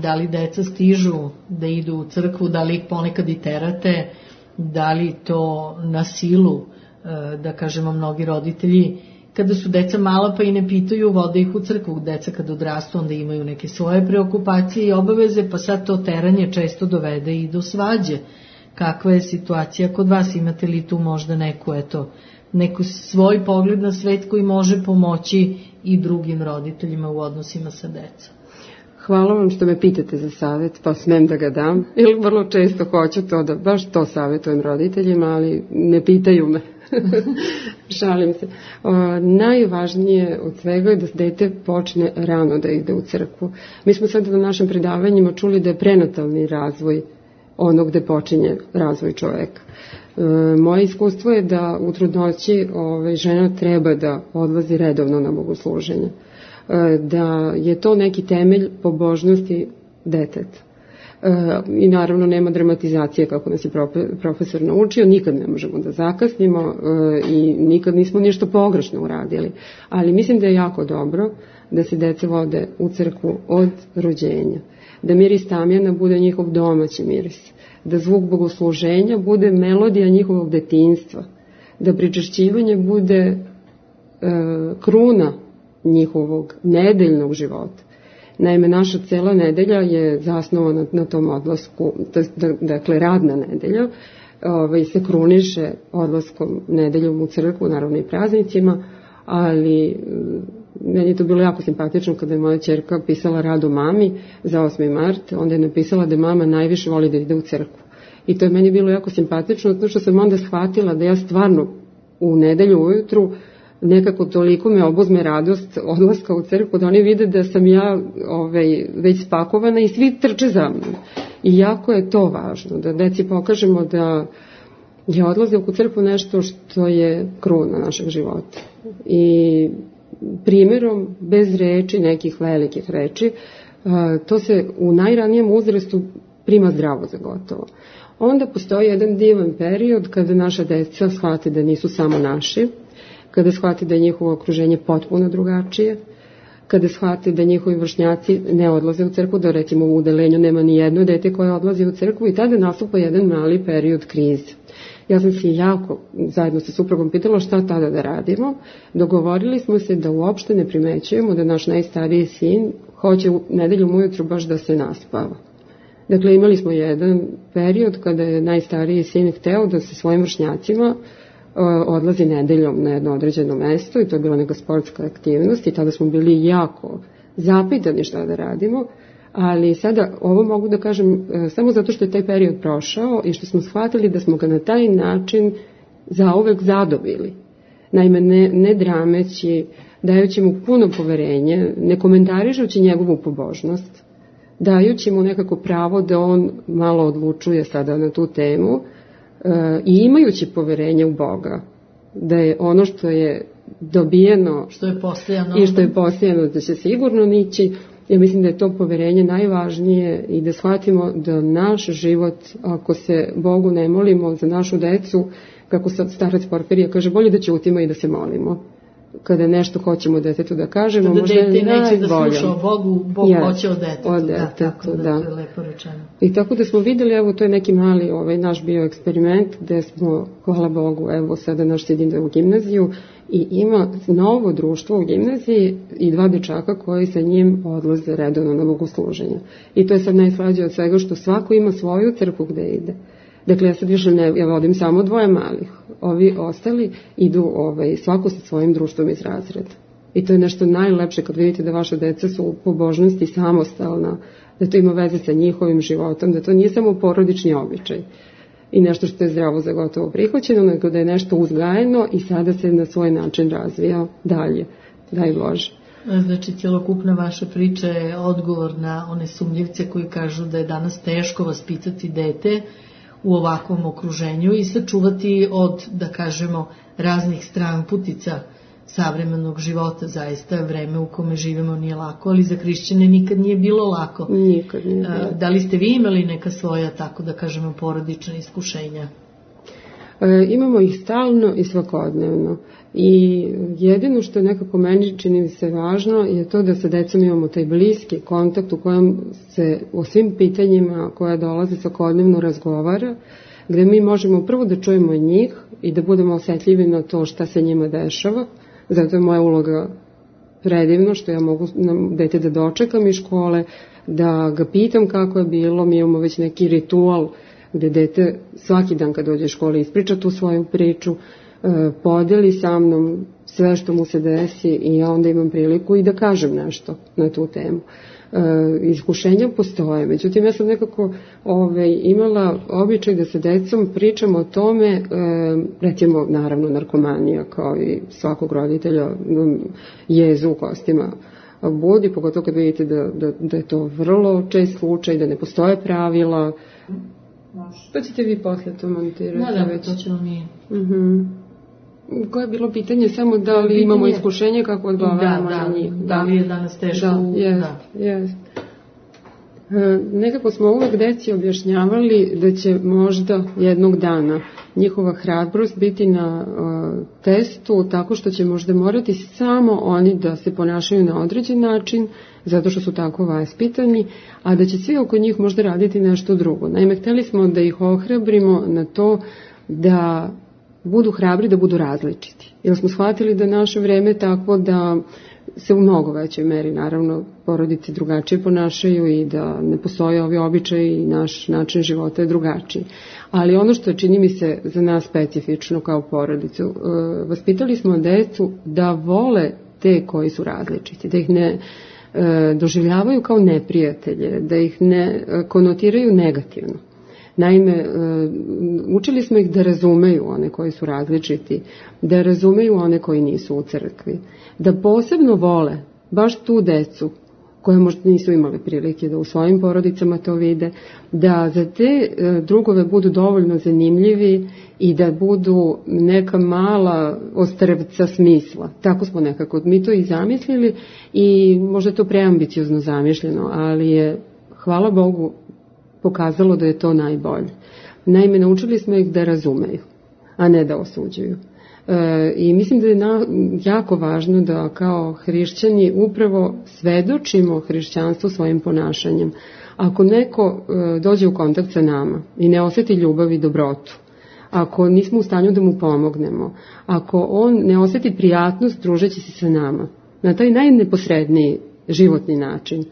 Da li deca stižu da idu u crkvu, da li ih ponekad i terate, da li to na silu, da kažemo mnogi roditelji kada su deca mala pa i ne pitaju, vode ih u crkvu. Deca kad odrastu onda imaju neke svoje preokupacije i obaveze, pa sad to teranje često dovede i do svađe. Kakva je situacija kod vas? Imate li tu možda neku, eto, neku svoj pogled na svet koji može pomoći i drugim roditeljima u odnosima sa decom? Hvala vam što me pitate za savjet, pa smem da ga dam. Ili vrlo često hoću to da baš to savjetujem roditeljima, ali ne pitaju me. Šalim se. O, najvažnije od svega je da dete počne rano da ide u crkvu. Mi smo sad na našim predavanjima čuli da je prenatalni razvoj ono gde počinje razvoj čoveka. E, moje iskustvo je da u trudnoći ove, žena treba da odlazi redovno na bogosluženje. E, da je to neki temelj pobožnosti deteta. E, I naravno nema dramatizacije kako nas je profesor naučio, nikad ne možemo da zakasnimo e, i nikad nismo ništa pogrešno uradili. Ali mislim da je jako dobro da se deca vode u crkvu od rođenja. Da miris tamjana bude njihov domaći miris, da zvuk bogosluženja bude melodija njihovog detinjstva, da pričešćivanje bude e, kruna njihovog nedeljnog života. Naime, naša cela nedelja je zasnovana na tom odlasku, dakle radna nedelja, ovaj, se kruniše odlaskom nedeljom u crkvu, naravno i praznicima, ali meni je to bilo jako simpatično kada je moja ćerka pisala rad o mami za osmi mart, onda je napisala da mama najviše voli da ide u crkvu. I to je meni bilo jako simpatično, zato što sam onda shvatila da ja stvarno u nedelju ujutru nekako toliko me obuzme radost odlaska u crkvu, da oni vide da sam ja ovaj, već spakovana i svi trče za mnom. I jako je to važno, da deci pokažemo da je odlazak u crkvu nešto što je kruna našeg života. I primjerom, bez reči, nekih velikih reči, to se u najranijem uzrastu prima zdravo za gotovo. Onda postoji jedan divan period kada naša deca shvate da nisu samo naši, kada shvate da je njihovo okruženje potpuno drugačije, kada shvate da njihovi vršnjaci ne odlaze u crkvu, da recimo u udelenju nema ni jedno dete koje odlazi u crkvu i tada nastupa jedan mali period krize. Ja sam se jako zajedno sa suprugom pitala šta tada da radimo. Dogovorili smo se da uopšte ne primećujemo da naš najstariji sin hoće u nedeljom ujutru baš da se naspava. Dakle, imali smo jedan period kada je najstariji sin hteo da se svojim vršnjacima odlazi nedeljom na jedno određeno mesto i to je bila neka sportska aktivnost i tada smo bili jako zapitani šta da radimo, ali sada ovo mogu da kažem samo zato što je taj period prošao i što smo shvatili da smo ga na taj način zauvek zadobili. Naime, ne, ne drameći, dajući mu puno poverenje, ne komentarišući njegovu pobožnost, dajući mu nekako pravo da on malo odlučuje sada na tu temu, i imajući poverenje u Boga, da je ono što je dobijeno što je postojano i što je postojano da će sigurno nići, ja mislim da je to poverenje najvažnije i da shvatimo da naš život, ako se Bogu ne molimo za našu decu, kako sad starac Porfirije kaže, bolje da ćutimo i da se molimo. Kada nešto hoćemo detetu da kažemo, kada možda je najbolje. Kada dete neće da sluša o Bogu, Bog yes, hoće o detetu. O detetu, da, tako da, da. To je lepo rečeno. I tako da smo videli, evo, to je neki mali ovaj, naš bio eksperiment, gde smo, hvala Bogu, evo, sada naš sin ide u gimnaziju i ima novo društvo u gimnaziji i dva dečaka koji sa njim odlaze redovno na bogosluženje. I to je sad najslađe od svega što svako ima svoju crkvu gde ide. Dakle, ja sad više ne, ja vodim samo dvoje malih. Ovi ostali idu ovaj, svako sa svojim društvom iz razreda. I to je nešto najlepše kad vidite da vaša deca su u pobožnosti samostalna, da to ima veze sa njihovim životom, da to nije samo porodični običaj i nešto što je zdravo za gotovo prihvaćeno, nego da je nešto uzgajeno i sada se na svoj način razvija dalje. Daj Bože. Znači, cjelokupna vaša priča je odgovor na one sumnjivce koji kažu da je danas teško vaspitati dete u ovakvom okruženju i sačuvati od, da kažemo, raznih stranputica savremenog života. Zaista vreme u kome živimo nije lako, ali za hrišćane nikad nije bilo lako. Nikad nije bilo. Da li ste vi imali neka svoja, tako da kažemo, porodična iskušenja? E, imamo ih stalno i svakodnevno. I jedino što je nekako meni čini mi se važno je to da sa decom imamo taj bliski kontakt u kojem se o svim pitanjima koja dolaze svakodnevno razgovara, gde mi možemo prvo da čujemo njih i da budemo osetljivi na to šta se njima dešava, Zato je moja uloga predivno što ja mogu dete da dočekam iz škole, da ga pitam kako je bilo. Mi imamo već neki ritual gde dete svaki dan kad dođe iz škole ispriča tu svoju priču, podeli sa mnom sve što mu se desi i ja onda imam priliku i da kažem nešto na tu temu. Iskušenja postoje, međutim ja sam nekako ove, imala običaj da sa decom pričam o tome, recimo naravno narkomanija kao i svakog roditelja jezu u kostima budi, pogotovo kad vidite da, da, da je to vrlo čest slučaj, da ne postoje pravila. To ćete vi posle to montirati. Da, da, to ćemo mi. Uh-huh. Koje je bilo pitanje samo da li pitanje... imamo iskušenje kako odgovaramo da, da, na njih? Da, da li je danas teško? Da, jest, da. jest. E, nekako smo uvek deci objašnjavali da će možda jednog dana njihova hrabrost biti na uh, testu tako što će možda morati samo oni da se ponašaju na određen način zato što su tako vaspitani, a da će svi oko njih možda raditi nešto drugo. Naime, hteli smo da ih ohrabrimo na to da budu hrabri, da budu različiti. Jer smo shvatili da naše vreme je takvo da se u mnogo većoj meri, naravno, porodice drugačije ponašaju i da ne postoje ovi običaji i naš način života je drugačiji. Ali ono što čini mi se za nas specifično kao porodicu, vaspitali smo decu da vole te koji su različiti, da ih ne doživljavaju kao neprijatelje, da ih ne konotiraju negativno. Naime, učili smo ih da razumeju one koji su različiti, da razumeju one koji nisu u crkvi, da posebno vole baš tu decu koje možda nisu imali prilike da u svojim porodicama to vide, da za te drugove budu dovoljno zanimljivi i da budu neka mala ostrvca smisla. Tako smo nekako mi to i zamislili i možda je to preambiciozno zamišljeno, ali je, hvala Bogu, pokazalo da je to najbolje. Naime, naučili smo ih da razumeju, a ne da osuđuju. E, I mislim da je na, jako važno da kao hrišćani upravo svedočimo hrišćanstvu svojim ponašanjem. Ako neko e, dođe u kontakt sa nama i ne osjeti ljubav i dobrotu, ako nismo u stanju da mu pomognemo, ako on ne osjeti prijatnost družeći se sa nama, na taj najneposredniji životni način,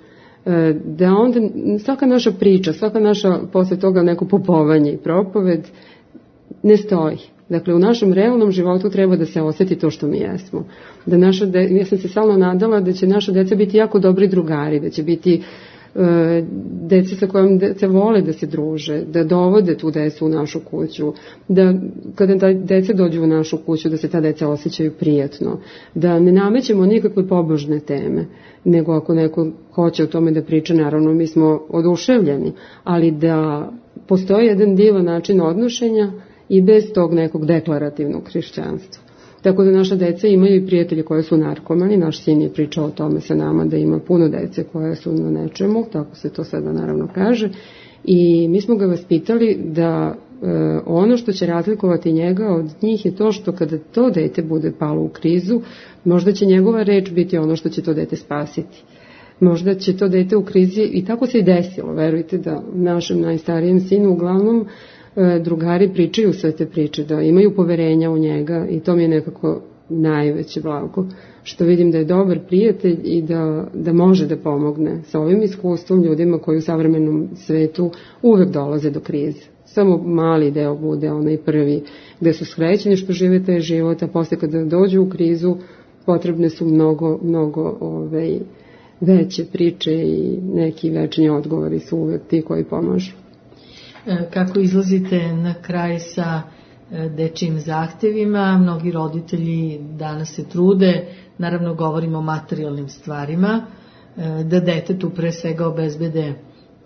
da onda svaka naša priča, svaka naša posle toga neko popovanje i propoved ne stoji. Dakle, u našem realnom životu treba da se osjeti to što mi jesmo. Da naša de... Ja sam se stalno nadala da će naša deca biti jako dobri drugari, da će biti e, deca sa kojom deca vole da se druže, da dovode tu decu u našu kuću, da kada deca dođu u našu kuću da se ta deca osjećaju prijatno, da ne namećemo nikakve pobožne teme, nego ako neko hoće o tome da priča, naravno mi smo oduševljeni, ali da postoji jedan divan način odnošenja i bez tog nekog deklarativnog hrišćanstva. Tako da naša deca imaju i prijatelje koje su narkomani, naš sin je pričao o tome sa nama da ima puno dece koje su na nečemu, tako se to sada naravno kaže, i mi smo ga vaspitali da e, ono što će razlikovati njega od njih je to što kada to dete bude palo u krizu, možda će njegova reč biti ono što će to dete spasiti. Možda će to dete u krizi, i tako se i desilo, verujte da našem najstarijem sinu uglavnom drugari pričaju sve te priče, da imaju poverenja u njega i to mi je nekako najveće blago, što vidim da je dobar prijatelj i da, da može da pomogne sa ovim iskustvom ljudima koji u savremenom svetu uvek dolaze do krize. Samo mali deo bude onaj prvi gde su srećeni što žive taj život, a posle kada dođu u krizu potrebne su mnogo, mnogo ovaj, veće priče i neki večni odgovori su uvek ti koji pomažu. Kako izlazite na kraj sa dečijim zahtevima? Mnogi roditelji danas se trude, naravno govorimo o materijalnim stvarima, da detetu pre svega obezbede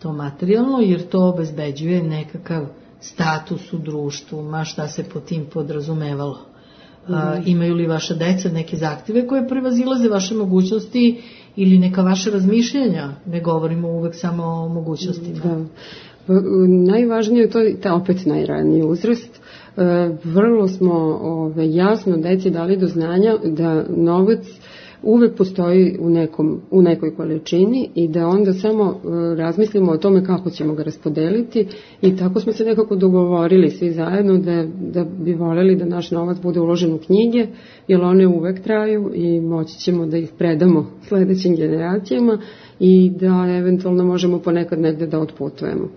to materijalno, jer to obezbeđuje nekakav status u društvu, ma šta se po tim podrazumevalo. Mm. Imaju li vaša deca neke zahteve koje prevazilaze vaše mogućnosti ili neka vaše razmišljanja? Ne govorimo uvek samo o mogućnostima. Da. Najvažnije je to ta opet najraniji uzrast. Vrlo smo ove, jasno deci dali do znanja da novac uvek postoji u, nekom, u nekoj količini i da onda samo razmislimo o tome kako ćemo ga raspodeliti i tako smo se nekako dogovorili svi zajedno da, da bi voljeli da naš novac bude uložen u knjige, jer one uvek traju i moći ćemo da ih predamo sledećim generacijama i da eventualno možemo ponekad negde da otputujemo.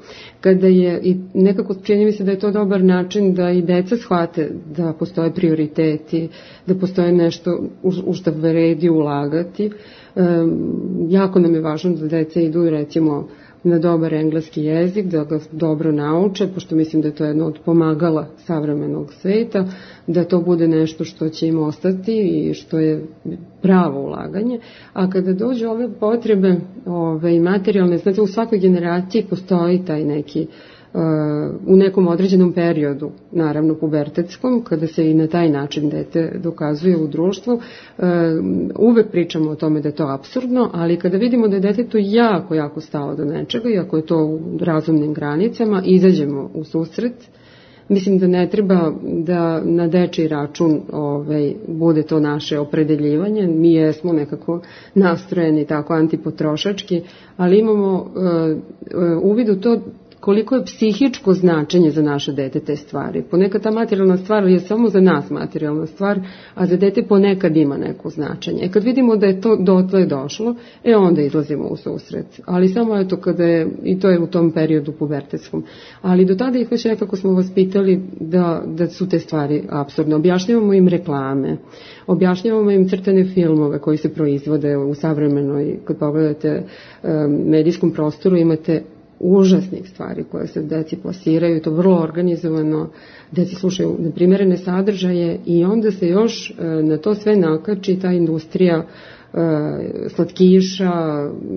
Kada je, i nekako čini mi se da je to dobar način da i deca shvate da postoje prioriteti, da postoje nešto u, u što vredi ulagati. E, jako nam je važno da deca idu recimo na dobar engleski jezik, da ga dobro nauče, pošto mislim da je to jedno od pomagala savremenog sveta, da to bude nešto što će im ostati i što je pravo ulaganje. A kada dođu ove potrebe ove, materijalne, znači u svakoj generaciji postoji taj neki u nekom određenom periodu, naravno pubertetskom, kada se i na taj način dete dokazuje u društvu, uvek pričamo o tome da je to apsurdno, ali kada vidimo da je detetu jako, jako stalo do nečega i ako je to u razumnim granicama, izađemo u susret. Mislim da ne treba da na dečiji račun ovaj, bude to naše opredeljivanje. Mi jesmo nekako nastrojeni tako antipotrošački, ali imamo uh, uvid u to koliko je psihičko značenje za naše dete te stvari. Ponekad ta materijalna stvar je samo za nas materijalna stvar, a za dete ponekad ima neko značenje. E kad vidimo da je to dotle došlo, e onda izlazimo u susret. Ali samo eto kada je, i to je u tom periodu pubertetskom. Ali do tada ih već nekako smo vas pitali da, da su te stvari apsurdne. Objašnjavamo im reklame, objašnjavamo im crtane filmove koji se proizvode u savremenoj, kad pogledate medijskom prostoru, imate užasnih stvari koje se deci plasiraju, to vrlo organizovano, deci slušaju neprimjerene sadržaje i onda se još na to sve nakači ta industrija slatkiša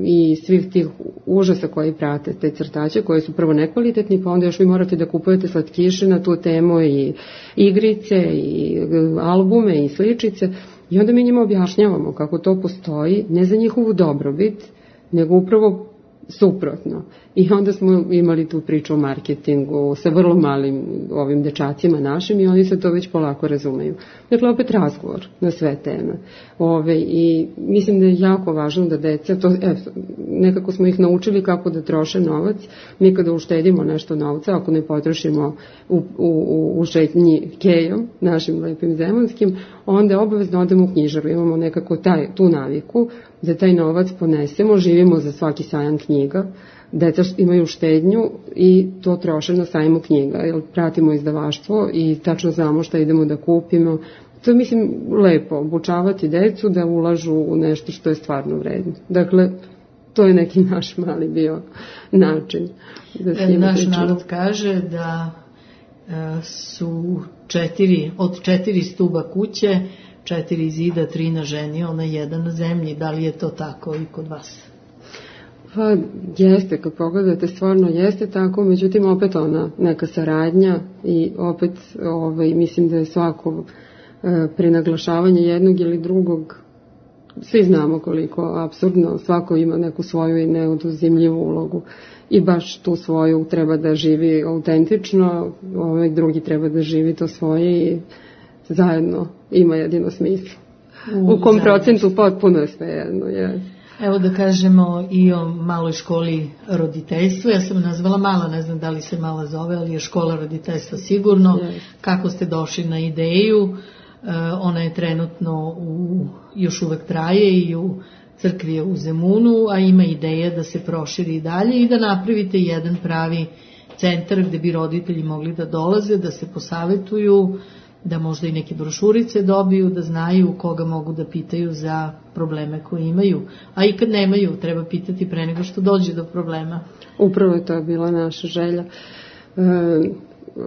i svih tih užasa koji prate te crtače, koji su prvo nekvalitetni, pa onda još vi morate da kupujete slatkiše na tu temu i igrice i albume i sličice i onda mi njima objašnjavamo kako to postoji, ne za njihovu dobrobit, nego upravo suprotno. I onda smo imali tu priču o marketingu sa vrlo malim ovim dečacima našim i oni se to već polako razumeju. Dakle, opet razgovor na sve teme. Ove, I mislim da je jako važno da deca, to, e, nekako smo ih naučili kako da troše novac. Mi kada uštedimo nešto novca, ako ne potrošimo u, u, u šetnji kejom, našim lepim zemunskim, onda obavezno odemo u knjižaru. Imamo nekako taj, tu naviku da taj novac ponesemo, živimo za svaki sajam knjiga, deca imaju štednju i to troše na sajmu knjiga, jer pratimo izdavaštvo i tačno znamo šta idemo da kupimo. To je, mislim, lepo, obučavati decu da ulažu u nešto što je stvarno vredno. Dakle, to je neki naš mali bio način. Da e, naš pričamo. Narod kaže da e, su četiri, od četiri stuba kuće, četiri zida, tri na ženi, ona jedan na zemlji. Da li je to tako i kod vas? Pa jeste, kad pogledate, stvarno jeste tako, međutim opet ona neka saradnja i opet ovaj, mislim da je svako e, prenaglašavanje jednog ili drugog, svi znamo koliko apsurdno, svako ima neku svoju i neoduzimljivu ulogu i baš tu svoju treba da živi autentično, ovaj drugi treba da živi to svoje i zajedno ima jedino smisla. U, U kom zajedno. Procentu potpuno je sve jedno, je. Evo da kažemo i o maloj školi roditeljstva. Ja sam nazvala mala, ne znam da li se mala zove, ali je škola roditeljstva sigurno. Yes. Kako ste došli na ideju? E, ona je trenutno u, još uvek traje i u crkvi je u Zemunu, a ima ideja da se proširi i dalje i da napravite jedan pravi centar gde bi roditelji mogli da dolaze, da se posavetuju, da možda i neke brošurice dobiju, da znaju koga mogu da pitaju za probleme koje imaju. A i kad nemaju, treba pitati pre nego što dođe do problema. Upravo je to bila naša želja. E,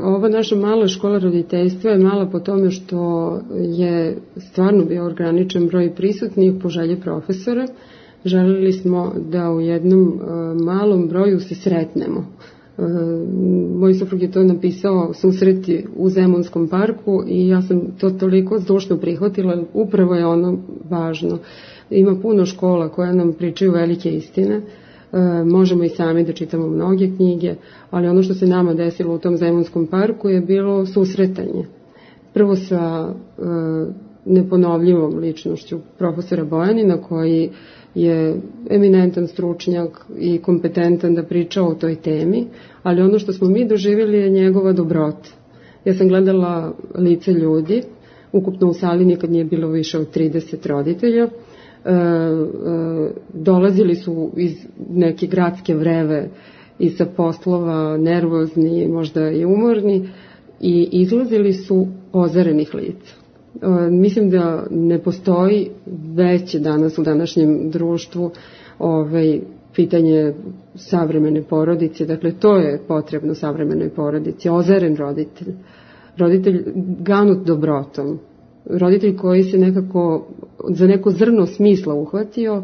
ova naša mala škola roditeljstva je mala po tome što je stvarno bio ograničen broj prisutnih po želji profesora. Želeli smo da u jednom e, malom broju se sretnemo. Moj suprug je to napisao susreti u Zemunskom parku i ja sam to toliko zdušno prihvatila, upravo je ono važno. Ima puno škola koja nam pričaju velike istine, možemo i sami da čitamo mnoge knjige, ali ono što se nama desilo u tom Zemunskom parku je bilo susretanje. Prvo sa neponovljivom ličnošću profesora Bojanina, koji je eminentan stručnjak i kompetentan da priča o toj temi, ali ono što smo mi doživjeli je njegova dobrota. Ja sam gledala lice ljudi, ukupno u sali nikad nije bilo više od trideset roditelja, e, e, dolazili su iz neke gradske vreve i sa poslova, nervozni, možda i umorni, i izlazili su ozarenih lica. E, mislim da ne postoji veće danas u današnjem društvu ovaj, pitanje savremene porodice, dakle to je potrebno savremenoj porodici, ozaren roditelj, roditelj ganut dobrotom, roditelj koji se nekako za neko zrno smisla uhvatio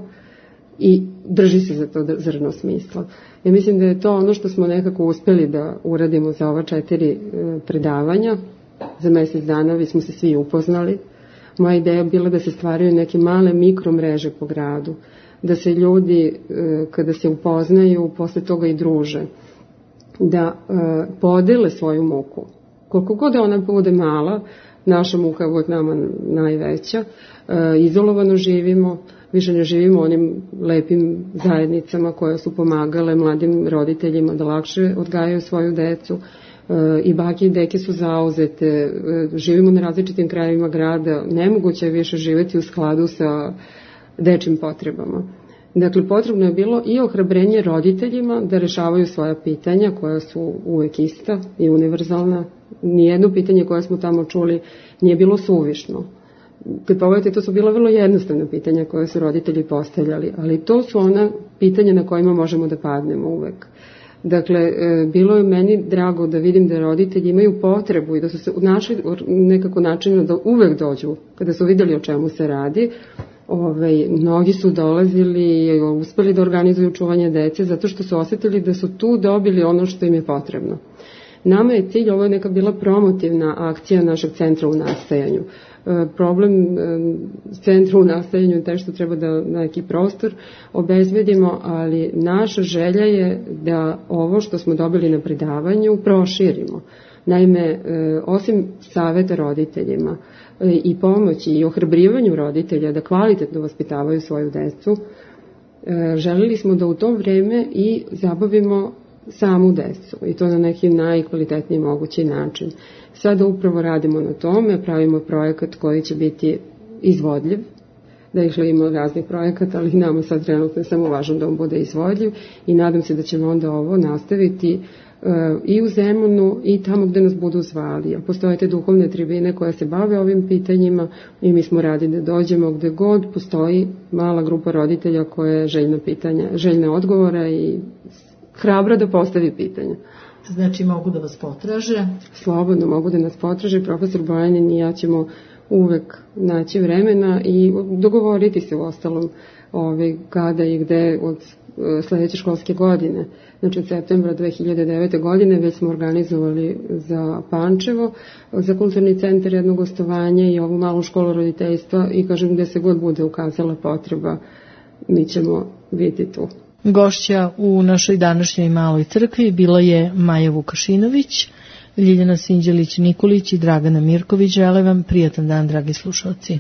i drži se za to zrno smisla. Ja mislim da je to ono što smo nekako uspeli da uradimo za ova četiri predavanja. Za mjesec dana vi smo se svi upoznali. Moja ideja je bila da se stvaraju neke male mikromreže po gradu, da se ljudi kada se upoznaju posle toga i druže, da podele svoju muku. Koliko god da ona bude mala, naša muka je uvijek nama najveća, izolovano živimo, više ne živimo onim lepim zajednicama koje su pomagale mladim roditeljima da lakše odgajaju svoju decu, i bake i deke su zauzete, živimo na različitim krajevima grada, nemoguće je više živjeti u skladu sa dečim potrebama. Dakle, potrebno je bilo i ohrabrenje roditeljima da rešavaju svoja pitanja koja su uvek ista i univerzalna. Nijedno pitanje koje smo tamo čuli nije bilo suvišno. Kad pogledate, to su bila vrlo jednostavna pitanja koje su roditelji postavljali, ali to su ona pitanja na kojima možemo da padnemo uvek. Dakle, bilo je meni drago da vidim da roditelji imaju potrebu i da su se našli nekako načina da uvek dođu kada su vidjeli o čemu se radi. Ove, mnogi su dolazili i uspeli da organizuju čuvanje dece zato što su osjetili da su tu dobili ono što im je potrebno. Nama je cilj, ovo je neka bila promotivna akcija našeg centra u nastajanju. E, problem e, centra u nastajanju je taj što treba da neki prostor obezbedimo, ali naša želja je da ovo što smo dobili na predavanju proširimo. Naime, e, osim saveta roditeljima e, i pomoći i ohrabrivanju roditelja da kvalitetno vaspitavaju svoju decu, e, želeli smo da u to vreme i zabavimo samu decu i to na neki najkvalitetniji mogući način. Sada upravo radimo na tome, pravimo projekat koji će biti izvodljiv, da ih ima raznih projekata, ali nama sad trenutno je samo važno da on bude izvodljiv i nadam se da ćemo onda ovo nastaviti uh, i u Zemunu i tamo gde nas budu zvali. A postoje te duhovne tribine koje se bave ovim pitanjima i mi smo radi da dođemo gde god postoji mala grupa roditelja koja je željna pitanja, željna odgovora i hrabra da postavi pitanja. Znači mogu da vas potraže? Slobodno mogu da nas potraže. Profesor Bojanin i ja ćemo uvek naći vremena i dogovoriti se u ostalom ovaj, kada i gde od sledeće školske godine. Znači od septembra dve hiljade devete. godine već smo organizovali za Pančevo, za kulturni centar jedno gostovanje i ovu malu školu roditeljstva i kažem gde se god bude ukazala potreba, mi ćemo biti tu. Gošća u našoj današnjoj maloj crkvi bila je Maja Vukašinović, Ljiljana Sinđelić-Nikolić i Dragana Mirković. Žele vam prijatan dan, dragi slušalci.